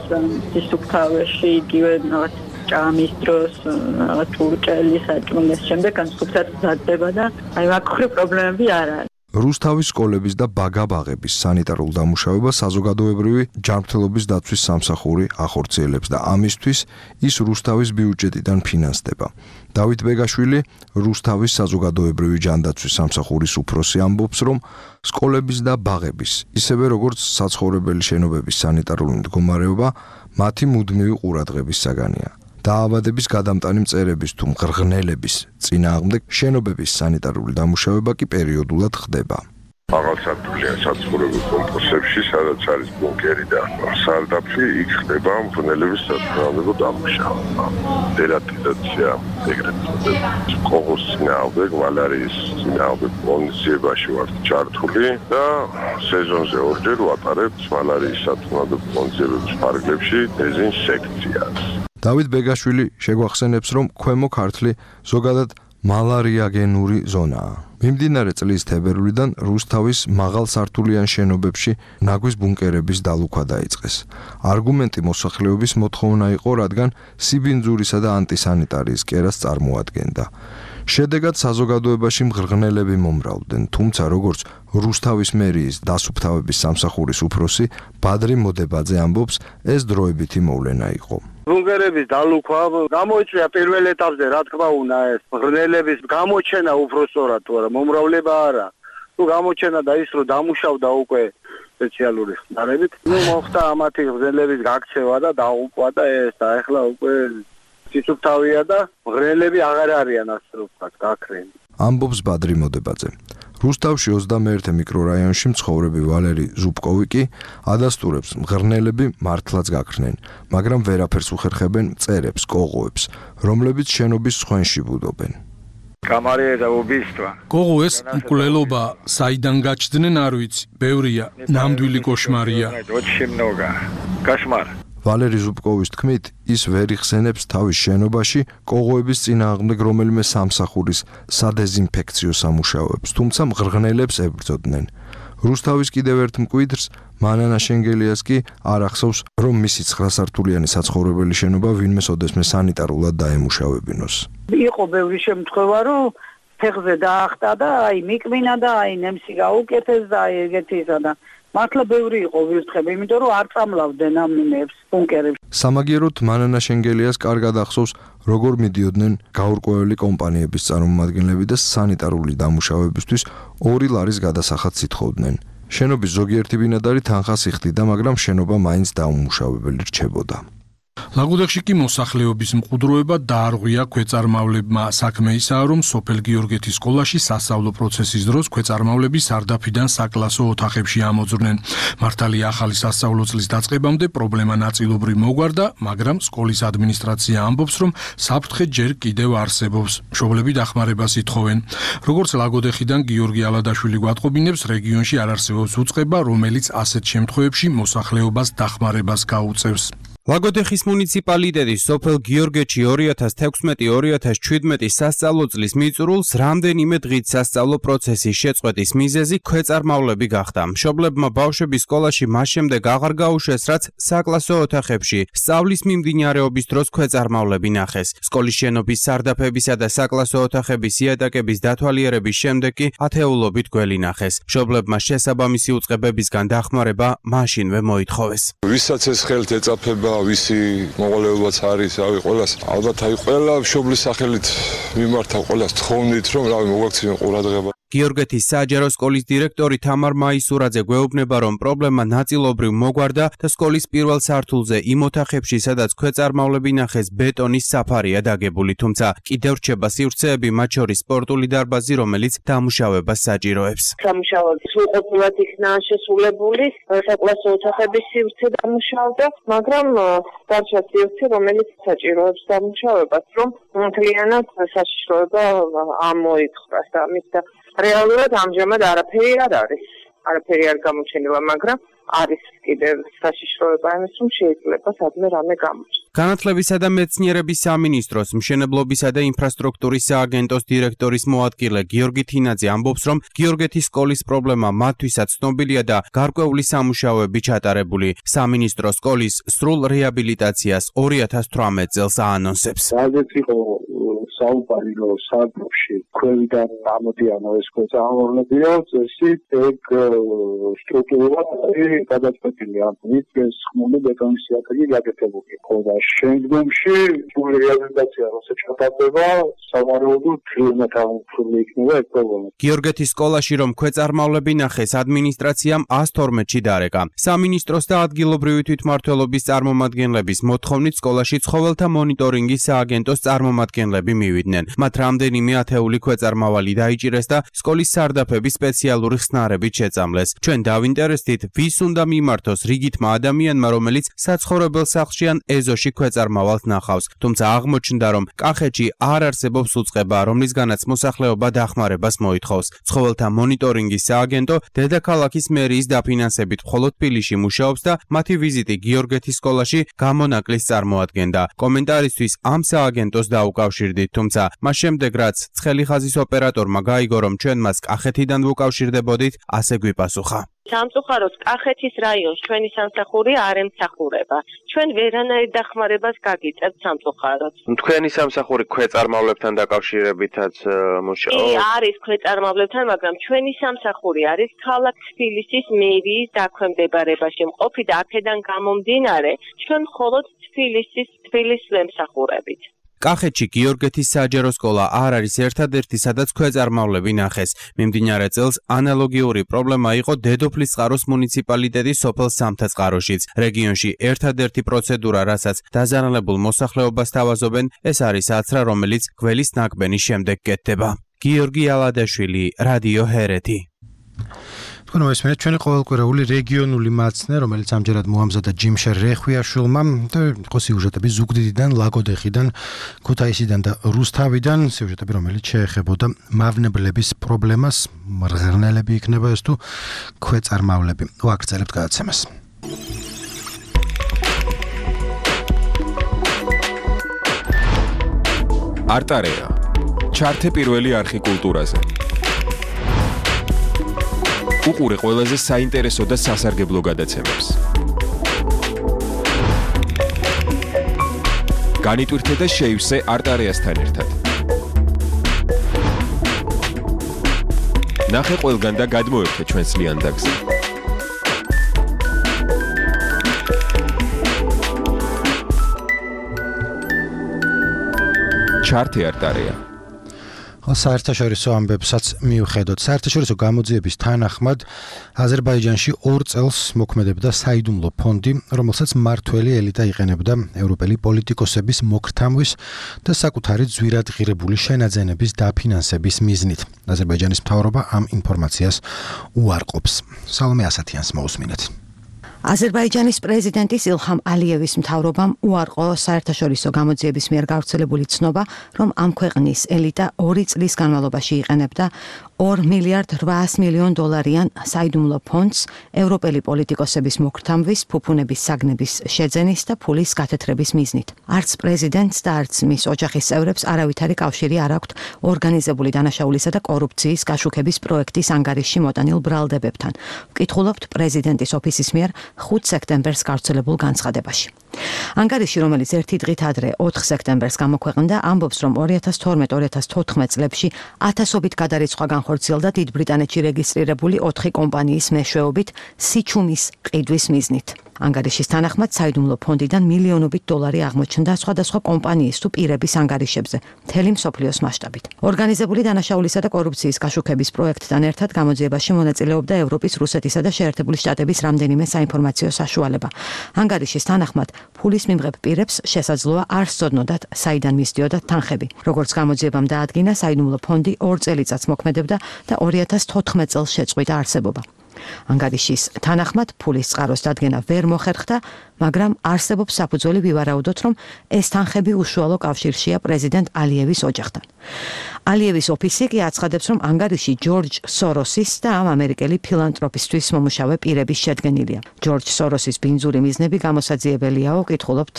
სისუფთავეში იგივე რაღაც ჭამის დროს რაღაც ურჭელი საჭმლის შემდეგ განსხვავებით მზადდება და აი მაგ ხრი პრობლემები არ არის. რუსთავის სკოლების და ბაგაბაღების სანიტარულ დამუშავებას საზოგადოებრივი ჯანმრთელობის დაცვის სამსახური ახორციელებს და ამისთვის ის რუსთავის ბიუჯეტიდან ფინანსდება. დავით ბეგაშვილი, რუსთავის საზოგადოებრივი ჯანდაცვის სამსახურის უფროსი, ამბობს, რომ სკოლების და ბაღების, ისევე როგორც საცხოვრებელი შენობების სანიტარული მდგომარეობა მათი მუდმივი ყურადღების საგანია. დაავადების გადამტანი მწერების თუ მღრღნელების წინააღმდეგ შენობების სანიტარული დამუშავება კი პერიოდულად ხდება. აღალსართულია საცხოვრებელ კომპლექსებში, სადაც არის ბუნკერი და სარდაფი, იქ ხდება მღრღნელების საწინააღმდეგო დამუშავება. დერატიზაცია, ეგრეთ წოდებული კოღოს წინააღმდეგ, მალარიის წინააღმდეგ ღონისძიებაში ვართ ჩართული და სეზონზე ორჯერ ვატარებთ მალარიის საწინააღმდეგო ღონისძიებების ფარგლებში დეზინსექციას. დავით ბეგაშვილი შეგვახსენებს, რომ ქვემო ქართლი ზოგადად მალარიაგენური ზონაა. მიმდინარე წლის თებერვლიდან რუსთავის მაღალსართულიან შენობებში ნაგვის ბუნკერების დალუქვა დაიწყეს. არგუმენტი მოსახლეობის მოთხოვნა იყო, რადგან სიბინძურისა და ანტისანიტარიის კერას წარმოადგენდა. შედეგად საზოგადოებაში მღრღნელები მომრავლდნენ, თუმცა როგორც რუსთავის მერიის დასუფთავების სამსახურის უფროსი ბადრი მოდებაძე ამბობს, ეს დროებითი მოვლენა იყო. ბუნკერების დალუქვა გამოიწვია პირველ ეტაპზე, რა თქმა უნდა, ეს მღრღნელების გამოჩენა უფრო სწორად თუ არა, მომრავლება არა. თუ გამოჩენა და ის რომ დამუშავდა უკვე სპეციალური ხმარებით, ნუ მოხდა ამათი მღრღნელების გაქცევა და დაუყვა და ეს და ეხლა უკვე სისუფთავია და მღრღნელები აღარ არიან ასე ვთქვათ, გაქრენი. ამბობს ბადრი მოდებაძე. რუსთავში ოცდამეერთე მიკრორაიონში მცხოვრები ვალერი ზუბკოვი კი ადასტურებს, მღრღნელები მართლაც გაქრნენ, მაგრამ ვერაფერს უხერხებენ მწერებს, კოღოებს, რომლებიც შენობის სხვენში ბუდობენ. კამარია და უბისტვა. კოღოეს მკვლელობა, საიდან გაჩდნენ არ ვიცი, ბევრია, ნამდვილი კოშმარია. очень много. Кошмар. ვალერი ზუბკოვის თქმით, ის ვერ იხსენებს თავის შენობაში კოღოების წინააღმდეგ რომელიმე სამსახურის სადეზინფექციო სამუშაოებს, თუმცა მღრღნელებს ებრძოდნენ. რუსთავის კიდევ ერთ მკვიდრს მანანა შენგელიას კი არ ახსოვს, რომ მისი ცხრა სართულიანი საცხოვრებელი შენობა ვინმეს ოდესმე სანიტარულად დაემუშავებინოს. იყო ბევრი შემთხვევა, რომ ფეხზე დაახტა და აი მიკმინა და აი ნემსი გაუკეთეს და აი ეგეთი ისა და მართლა ბევრი იყო ვირთხები, იმიტომ რომ არ წამლავდნენ ამ ნებს ბუნკერებს. სამაგიეროდ მანანა შენგელიას კარგად ახსოვს, როგორ მიდიოდნენ გაურკვეველი კომპანიების წარმომადგენლები და სანიტარული დამუშავებისთვის ორი ლარის გადასახადს ითხოვდნენ. შენობის ზოგიერთი ბინადარი თანხას იხდიდა, მაგრამ შენობა მაინც დაუმუშავებელი რჩებოდა. ლაგოდეხში კი მოსახლეობის მყუდროება დაარღვია ქვეწარმავლებმა. საქმე ისაა, რომ სოფელ გიორგეთის სკოლაში სასწავლო პროცესის დროს ქვეწარმავლები სარდაფიდან საკლასო ოთახებში ამოძვრნენ. მართალია ახალი სასწავლო წლის დაწყებამდე პრობლემა ნაწილობრივ მოგვარდა, მაგრამ სკოლის ადმინისტრაცია ამბობს, რომ საფრთხე ჯერ კიდევ არსებობს. მშობლები დახმარებას ითხოვენ. როგორც ლაგოდეხიდან გიორგი ალადაშვილი გვატყობინებს, რეგიონში არ არსებობს უწყება, რომელიც ასეთ შემთხვევებში მოსახლეობას დახმარებას გაუწევს. ლაგოდეხის მუნიციპალიტეტი სოფელ გიორგეთში ორი ათას თექვსმეტი ორი ათას შვიდმეტი სასწავლო წლის მიწურულს რამდენიმე დღით სასწავლო პროცესის შეწყვეტის მიზეზი ქვეწარმავლები გახდა. მშობლებმა ბავშვების სკოლაში მას შემდეგ აღარ გაუშვეს, რაც საკლასო ოთახებში სწავლის მიმდინარეობის დროს ქვეწარმავლები ნახეს. სკოლის შენობის სარდაფებისა და საკლასო ოთახების იატაკების დათვალიერების შემდეგ კი ათეულობით გველი ნახეს. მშობლებმა შესაბამისი უწყებებისგან დახმარება მაშინვე მოითხოვეს. ვისაც ეს ხელთ ეწაფება ვისი მოყოლებაც არის, რავი, ყველას ალბათ აი ყველა მშობლის სახელით მიმართავ ყველას თხოვნით, რომ რავი მოგვაქციან ყურადღება. გიორგეთის საჯარო სკოლის დირექტორი თამარ მაისურაძე გვეუბნება, რომ პრობლემა ნაწილობრივ მოგვარდა და სკოლის პირველ სართულზე იმ ოთახებში, სადაც ქვეწარმავლები ნახეს, ბეტონის საფარია დაგებული, თუმცა კიდევ რჩება სივრცეები, მათ შორის სპორტული დარბაზი, რომელიც დამუშავებას საჭიროებს. სამუშაოები სრულყოფილად იქნა შესრულებული, საკლასო ოთახების სივრცე დამუშავდა, მაგრამ დარჩა სივრცე, რომელიც საჭიროებს დამუშავებას, რომ მთლიანად საშიშროება ამოითხრას და ამით და რეალურად ამჟამად არაფერი არ არის. არაფერი არ გამოჩენილა, მაგრამ არის კიდევ საშიშროება იმის, რომ შეიძლება სადმე რამე გამოჩნდეს. განათლებისა და მეცნიერების სამინისტროს მშენებლობისა და ინფრასტრუქტურის სააგენტოს დირექტორის მოადგილე გიორგი თინაძე ამბობს, რომ გიორგეთის სკოლის პრობლემა მათთვისაც ცნობილია და გარკვეული სამუშაოები ჩატარებული. სამინისტრო სკოლის სრულ რეაბილიტაციას ორი ათას თვრამეტ წელს აანონსებს. რადგან იყო საუბარი, რომ სარდაფში ქვევიდან ამოდიან ეს ქვეწარმავლებია, წესი ეგ სტრუქტურულად გადაწყვეტილი ამ მიწის ხმული ბეტონის იატაკი გაკეთებული. და შემდგომში სრული რეაბილიტაცია როცა ჩატარდება, სავარაუდოდ თლიანად ამოფრული იქნება ეს პრობლემა. გიორგეთის სკოლაში რომ ქვეწარმავლები ნახეს, ადმინისტრაციამ ას თორმეტში დარეკა. სამინისტროს და ადგილობრივი თვითმმართველობის წარმომადგენლების მოთხოვნით სკოლაში ცხოველთა მონიტორინგის სააგენტოს წარმომადგენლები მივიდნენ. მათ რამდენიმე ათეული ქვეწარმავალი დაიჭირეს და სკოლის სარდაფები სპეციალური ხსნარებით შეწამლეს. ჩვენ დავინტერესდით, ვის უნდა მიმართოს რიგითმა ადამიანმა, რომელიც საცხოვრებელ სახლში ან ეზოში ქვეწარმავალს ნახავს. თუმცა აღმოჩნდა, რომ კახეთში არ არსებობს უწყება, რომლისგანაც მოსახლეობა დახმარებას მოითხოვს. ცხოველთა მონიტორინგის სააგენტო დედაქალაქის მერიის დაფინანსებით მხოლოდ თბილისში მუშაობს და მათი ვიზიტი გიორგეთის სკოლაში გამონაკლის წარმოადგენდა. კომენტარისთვის ამ სააგენტოს დაუკავშირდით, თუმცა მას შემდეგ რაც ცხელი ხაზის ოპერატორმა გაიგო, რომ ჩვენ მას კახეთიდან ვუკავშირდებოდით, ასე გვიპასუხა. სამწუხაროდ კახეთის რაიონს ჩვენი სამსახური არ ემსახურება. ჩვენ ვერანაირ დახმარებას გაგიწევთ სამწუხაროდ. თქვენი სამსახური ქვეწარმავლებთან დაკავშირებითაც მუშაობს? კი, არის ქვეწარმავლებთან, მაგრამ ჩვენი სამსახური არის ქალაქ თბილისის მერიის დაქვემდებარებაში მყოფი და აქედან გამომდინარე, ჩვენ მხოლოდ თბილისის თბილისს ვემსახურებით. კახეთში გიორგეთის საჯარო სკოლა არ არის ერთადერთი, სადაც ქვეწარმავლები ნახეს. მიმდინარე წელს ანალოგიური პრობლემა იყო დედოფლისწყაროს მუნიციპალიტეტის სოფელ სამთაწყაროშიც. რეგიონში ერთადერთი პროცედურა, რასაც დაზარალებულ მოსახლეობას თავაზობენ, ეს არის აცრა, რომელიც გველის ნაკბენის შემდეგ კეთდება. გიორგი ალადაშვილი, რადიო ჰერეთი. თქვენ მესმენთ ჩვენი ყოველკვირეული რეგიონული მაცნე, რომელიც ამჯერად მოამზადა ჯიმშერ რეხვიაშვილმა და იყო სიუჟეტები ზუგდიდიდან, ლაგოდეხიდან, ქუთაისიდან და რუსთავიდან, სიუჟეტები, რომელიც შეეხებოდა მავნებლების პრობლემას, მრღნელები იქნება ეს თუ ქვეწარმავლები. ვაგრძელებთ გადაცემას. არტარეა. ჩართე პირველი არხი კულტურაზე. უყურე ყველაზე საინტერესო და სასარგებლო გადაცემებს. განიტვირთე და შეივსე არტარიასთან ერთად. ნახე ყველგან და გადმოერთე ჩვენს ლიანდაგზე. ჩართე არტარია. საერთაშორისო ამბებსაც მიუხედოთ, საერთაშორისო გამოძიების თანახმად აზერბაიჯანში ორ წელს მოქმედებდა საიდუმლო ფონდი, რომელსაც მმართველი ელიტა იყენებდა ევროპელი პოლიტიკოსების მოგრთამვის და საკუთარი ძვირადღირებული შენაძენების დაფინანსების მიზნით. აზერბაიჯანის მთავრობა ამ ინფორმაციას უარყოფს. სალომე ასათიანს მოусმინეთ. აზერბაიჯანის პრეზიდენტის ილჰამ ალიევის მთავრობამ უარყო საერთაშორისო გამოძიების მიერ გავრცელებული ცნობა, რომ ამ ქვეყნის ელიტა ორი წლის განმავლობაში იყენებდა ორ მილიარდ რვაას მილიონ დოლარიან საიდუმლო ფონდს ევროპელი პოლიტიკოსების მოგრთამვის, ფუფუნების საგნების შეძენის და ფულის გათეთრების მიზნით. არც პრეზიდენტს და არც მის ოჯახის წევრებს არავითარი კავშირი არ აქვთ ორგანიზებული დანაშაულისა და კორუფციის გაშუქების პროექტის ანგარიშში მოტანილ ბრალდებებთან. ვკითხულობთ პრეზიდენტის ოფისის მიერ ხუთ სექტემბერს გავრცელებულ განცხადებაში. ანგარიში, რომელიც ერთი დღით ადრე ოთხ სექტემბერს გამოქვეყნდა, ამბობს, რომ ორი ათას თორმეტ ორი ათას თოთხმეტ წლებში ათასობით გადარიცხვა განხორციელდა დიდ ბრიტანეთში რეგისტრირებული ოთხი კომპანიის მეშვეობით სიჩუმის ყიდვის მიზნით. ანგარიშის თანახმად საიდუმლო ფონდიდან მილიონობით დოლარი აღმოჩნდა სხვადასხვა კომპანიის თუ პირების ანგარიშებზე, მთელი მსოფლიოს მასშტაბით. ორგანიზებული დანაშაულისა და კორუფციის გაშუქების პროექტთან ერთად გამოძიებაში მონაწილეობდა ევროპის, რუსეთისა და შეერთებული შტატების რამდენიმე საინფორმაციო საშუალება. ანგარიშის თანახმად ფულის მიმღებ პირებს შესაძლოა არ სწოდნოდათ, საიდან მისდიოდათ თანხები. როგორც გამოძიებამ დაადგინა, საიდუმლო ფონდი ორ წელიწადს მოქმედებდა და ორი ათას თოთხმეტ წელს შეწყვიტა არსებობა. ანგარიშის თანახმად ფულის წყაროს დადგენა ვერ მოხერხდა, მაგრამ არსებობს საფუძველი ვივარაუდოთ, რომ ეს თანხები უშუალო კავშირშია პრეზიდენტ ალიევის ოჯახთან. ალიევის ოფისი კი აცხადებს, რომ ანგარიში ჯორჯ სოროსის და ამ ამერიკელი ფილანტროპისთვის მომუშავე პირების შედგენილია. ჯორჯ სოროსის ბინძური მიზნები გამოსაძიებელიაო, კითხულობთ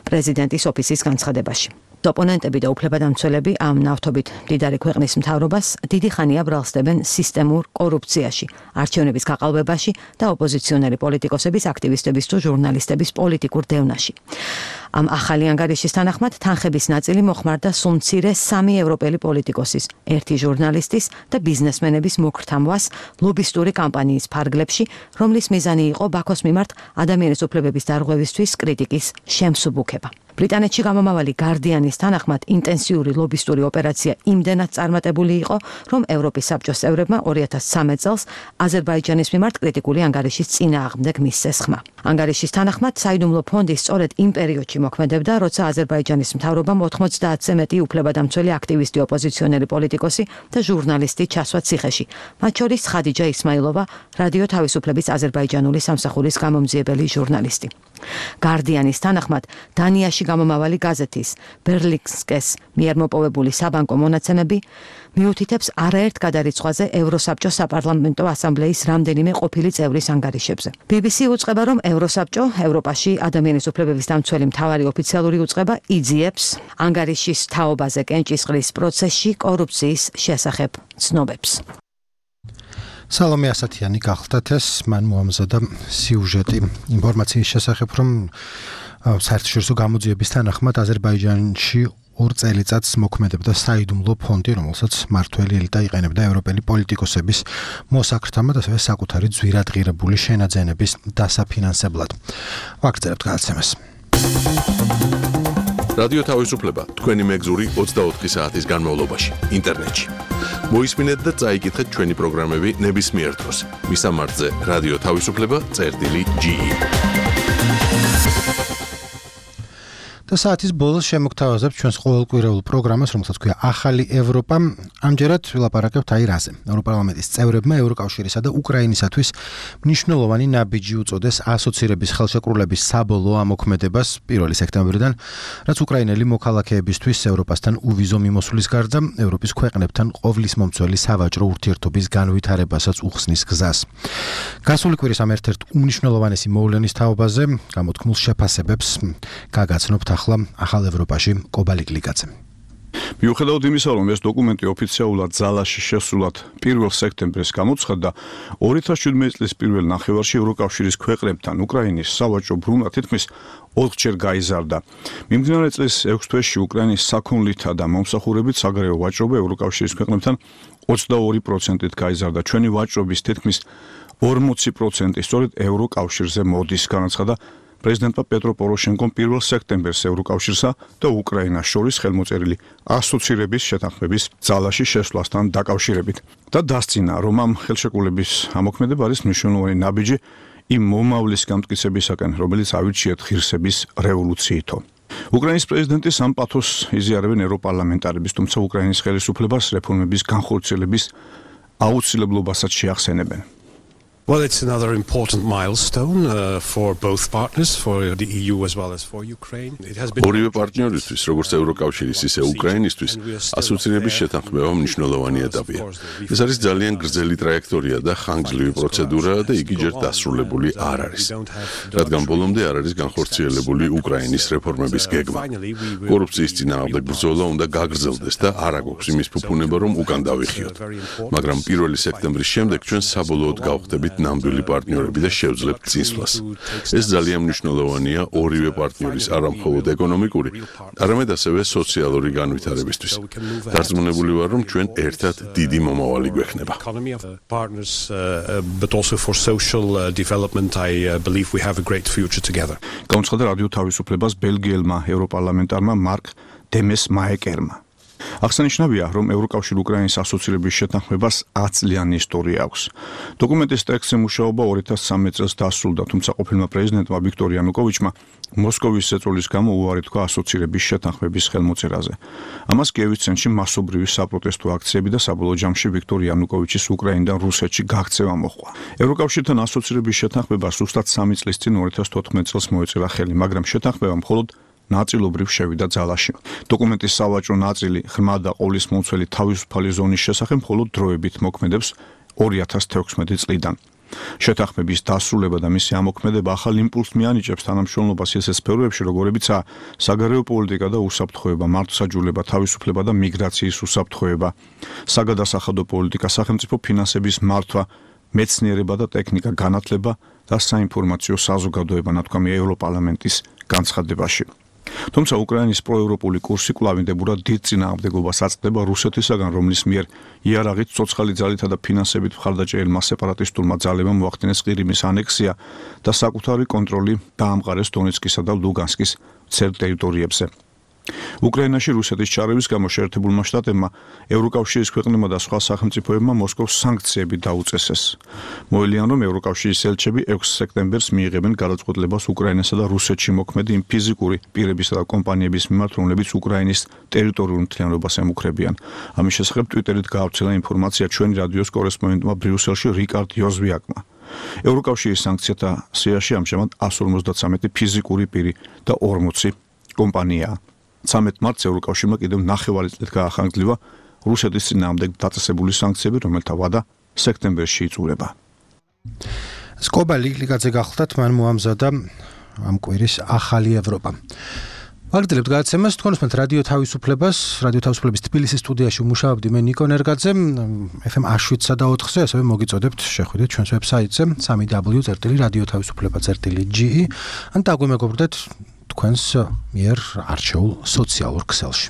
პრეზიდენტის ოფისის განცხადებაში. ოპონენტები და უფლებადამცველები ამ ნავთობით მდიდარი ქვეყნის მთავრობას დიდი ხანია ბრალსდებენ სისტემურ კორუფციაში, არჩევნების გაყალბებაში და ოპოზიციონერი პოლიტიკოსების, აქტივისტების თუ ჟურნალისტების პოლიტიკურ დევნაში. ამ ახალი ანგარიშის თანახმად თანხების ნაწილი მოხმარდა სულ მცირე სამი ევროპელი პოლიტიკოსის, ერთი ჟურნალისტის და ბიზნესმენების მოგრთამვას ლობისტური კამპანიის ფარგლებში, რომლის მიზანი იყო ბაქოს მიმართ ადამიანის უფლებების დარღვევისთვის კრიტიკის შემსუბუქება. ბრიტანეთში გამომავალი გარდიანის თანახმად ინტენსიური ლობისტური ოპერაცია იმდენად წარმატებული იყო, რომ ევროპის საბჭოს წევრებმა ორი ათას სამი წელს აზერბაიჯანის მიმართ კრიტიკული ანგარიშის წინააღმდეგ მისცეს ხმა. ანგარიშის თანახმად საიდუმლო ფონდი სწორედ იმ პერიოდში მოქმედებდა, როცა აზერბაიჯანის მთავრობამ ოთხმოცდაათზე მეტი უფლებადამცველი აქტივისტი, ოპოზიციონერი პოლიტიკოსი და ჟურნალისტი ჩასვა ციხეში, მათ შორის ხადიჯა ისმაილოვა, რადიო თავისუფლების აზერბაიჯანული სამსახურის გამომძიებელი ჟურნალისტი. გარდიანის თანახმად დანიაში გამომავალი გაზეთის ბერლინსკეს მიერ მოპოვებული საბანკო მონაცემები მიუთითებს არაერთ გადარიცხვაზე ევროსაბჭოს საპარლამენტო ასამბლეის რამდენიმე ყოფილი წევრის ანგარიშებზე. ბი ბი სი უწყება, რომ ევროსაბჭო ევროპაში ადამიანის უფლებების დამცველი მთავარი ოფიციალური უწყება იძიებს ანგარიშის თაობაზე კენჭისყრის პროცესში კორუფციის შესახებ ცნობებს. სალომე ასათიანი გახლდათ ეს, მან მოამზადა სიუჟეტი ინფორმაციის შესახებ, რომ საერთაშორისო გამოძიების თანახმად აზერბაიჯანში ორ წელიწადს მოქმედებდა საიდუმლო ფონდი, რომელსაც მმართველი ელიტა იყენებდა ევროპელი პოლიტიკოსების მოსაkrtამად, ასევე საკუთარი ძვირადღირებული შენაძენების დასაფინანსებლად. ვაგრძელებთ გადაცემას. რადიო თავისუფლება თქვენი მეგზური ოცდაოთხი საათის განმავლობაში ინტერნეტში. მოისმინეთ და წაიკითხეთ ჩვენი პროგრამები ნებისმიერ დროს. მისამართზე რადიო თავისუფლება წერტილი ჯი ი. და საათის ბოლოს შემოგთავაზებთ ჩვენს ყოველკვირეულ პროგრამას, რომელსაც ქვია ახალი ევროპა. ამჯერად ვილაპარაკებთ აი რაზე. ევროპარლამენტის წევრებმა ევროკავშირისა და უკრაინისათვის მნიშვნელოვანი ნაბიჯი უწოდეს ასოცირების ხელშეკრულების საბოლოო ამოქმედებას პირველი სექტემბრიდან, რაც უკრაინელი მოქალაქეებისთვის ევროპასთან უვიზო მიმოსვლის გარდა ევროპის ქვეყნებთან ყოვლის მომცველი სავაჭრო ურთიერთობის განვითარებასაც უხსნის გზას. გასული კვირის ამ ერთ-ერთ უმნიშვნელოვანესი მოვლენის თაობაზე გამოთქმულ შეფასებებს გაგაცნობთ ახლა ახალ ევროპაში კობალიკ ლიკაძე. მიუხედავად იმისა, რომ ეს დოკუმენტი ოფიციალურად ძალაში შესულად პირველ სექტემბერს გამოცხადდა, ორი ათას შვიდმეტი წლის პირველ ნახევარში ევროკავშირის ქვეყნებთან უკრაინის სავაჭრო ბრუნვა თითქმის ოთხჯერ გაიზარდა. მიმდინარე წლის ექვს თვეში უკრაინის საქონლითა და მომსახურებით საგარეო ვაჭრობა ევროკავშირის ქვეყნებთან ოცდაორი პროცენტით გაიზარდა. ჩვენი ვაჭრობის თითქმის ორმოცი პროცენტი სწორედ ევროკავშირზე მოდის, განაცხადა პრეზიდენტმა პეტრო პოროშენკომ პირველ სექტემბერს ევროკავშირსა და უკრაინას შორის ხელმოწერილი ასოცირების შეთანხმების ძალაში შესვლასთან დაკავშირებით და დასწინა, რომ ამ ხელშეკრულების ამოქმედება არის მნიშვნელოვანი ნაბიჯი იმ მომავლის გამტკიცებისაკენ, რომელიც ავირჩიეთ ღირსების რევოლუციითო. უკრაინის პრეზიდენტი სამ პათოსს იზიარებენ ევროპარლამენტარების, თუმცა უკრაინის ხელისუფლებას რეფორმების განხორციელების აუცილებლობასაც შეახსენებენ. Well, it's another important milestone uh, for both partners, for the E U as well as for Ukraine. It has been ორივე პარტნიორისთვის, როგორც ევროკავშირის, ისე უკრაინისთვის, ასოცირების შეთანხმება მნიშვნელოვანი ეტაპია. ეს არის ძალიან გრძელი ტრაექტორია და ხანგრძლივი პროცედურა და იგი ჯერ დასრულებული არ არის. რადგან ბოლომდე არ არის განხორციელებული უკრაინის რეფორმების გეგმა. კორუფციის წინააღმდეგ ბრძოლა უნდა გაგრძელდეს და არ აგვაქვს იმის ფუფუნება, რომ უკან დავიხიოთ. მაგრამ პირველი სექტემბრის შემდეგ ჩვენ საბოლოოდ გავხდებით ნამდვილი პარტნიორები და შევძლებთ წინსვლას. ეს ძალიან მნიშვნელოვანია ორივე პარტნიორის არა მხოლოდ ეკონომიკური, არამედ ასევე სოციალური განვითარებისთვის. დარწმუნებული ვარ, რომ ჩვენ ერთად დიდი მომავალი გვექნება. But also for social development, I believe we have a great future together. გამოცხადდა რადიო თავისუფლებას ბელგიელმა ევროპარლამენტარმა მარკ დემეს მაეკერმა. აღსანიშნავია, რომ ევროკავშირ უკრაინის ასოცირების შეთანხმებას ათი წლიანი ისტორია აქვს. დოკუმენტის ტექსტზე მუშაობა ორი ათას ცხრამეტ წელს დასრულდა, თუმცა ყოფილმა პრეზიდენტმა ვიქტორ იანუკოვიჩმა მოსკოვის ზეწოლის გამო უარი თქვა ასოცირების შეთანხმების ხელმოწერაზე. ამას კიევის ცენტრში მასობრივი საპროტესტო აქციები და საბოლოო ჯამში ვიქტორ იანუკოვიჩის უკრაინიდან რუსეთში გაქცევა მოჰყვა. ევროკავშირთან ასოცირების შეთანხმება ზუსტად სამი წლის წინ ორი ათას თოთხმეტ წელს მოეწერა ხელი, მაგრამ შეთანხმება მხოლოდ ნაწილობრივ შევიდა ძალაში. დოკუმენტის სავაჭრო ნაწილი ღრმა და ყოვლისმომცველი თავისუფალი ზონის შესახებ მხოლოდ დროებით მოქმედებს ორი ათას თექვსმეტი წლიდან. შეთანხმების დასრულება და მისი ამოქმედება ახალ იმპულსს მიანიჭებს თანამშრომლობას ისეთ სფეროებში, როგორებიცაა საგარეო პოლიტიკა და უსაფრთხოება, მართლმსაჯულება, თავისუფლება და მიგრაციის უსაფრთხოება, საგადასახადო პოლიტიკა, სახელმწიფო ფინანსების მართვა, მეცნიერება და ტექნიკა, განათლება და საინფორმაციო საზოგადოება, ნათქვამია ევროპარლამენტის განცხადებაში. თუმცა უკრაინის პროევროპული კურსი კვლავინდებურად დიდ წინააღმდეგობას აწყდება რუსეთისაგან, რომლის მიერ იარაღით, ცოცხალი ძალითა და ფინანსებით მხარდაჭერილმა სეპარატისტულმა ძალებმა მოახდინეს ყირიმის ანექსია და საკუთარი კონტროლი დაამყარეს დონეცკისა და ლუგანსკის მცირ ტერიტორიებზე. უკრაინაში რუსეთის ჩარევის გამო შეერთებულმა შტატებმა, ევროკავშირის ქვეყნებმა და სხვა სახელმწიფოებმა მოსკოვს სანქციები დაუწესეს. მოელიან, რომ ევროკავშირის ელჩები ექვსი სექტემბერს მიიღებენ გადაწყვეტილებას უკრაინასა და რუსეთში მოქმედი იმ ფიზიკური პირებისა და კომპანიების მიმართ, რომლებიც უკრაინის ტერიტორიულ მთლიანობას ემუქრებიან. ამის შესახებ ტვიტერით გაავრცელა ინფორმაცია ჩვენი რადიოს კორესპონდენტმა ბრიუსელში რიკარდ იოზვიაკმა. ევროკავშირის სანქციათა სიაში ამჟამად εκατს ორმოცდათრამეტი ფიზიკური პირი და ორმოცი კომპანიაა. ცამეტ მარტს ევროკავშირმა კიდევ ნახევარი წლით გაახანგრძლივა რუსეთის წინააღმდეგ დაწესებული სანქციები, რომელთა ვადა სექტემბერში იწურება. სკობა ლიგლიგაძე გახლდათ, მან მოამზადა ამ კვირის ახალი ევროპა. ვაგრძელებთ გადაცემას, თქვენ უსმენთ რადიო თავისუფლებას, რადიო თავისუფლების თბილისის სტუდიაში მუშაობდი მე ნიკო ნერგაძე, ეფ ემ შვიდსა და ოთხზე, ასევე მოგიწოდებთ შეხვიდეთ ჩვენს ვებსაიტზე სამი დაბლიუ წერტილი რადიო თავისუფლება წერტილი ჯი ი ან დაგვემეგობრდეთ თქვენს მიერ არჩეულ სოციალურ ქსელში.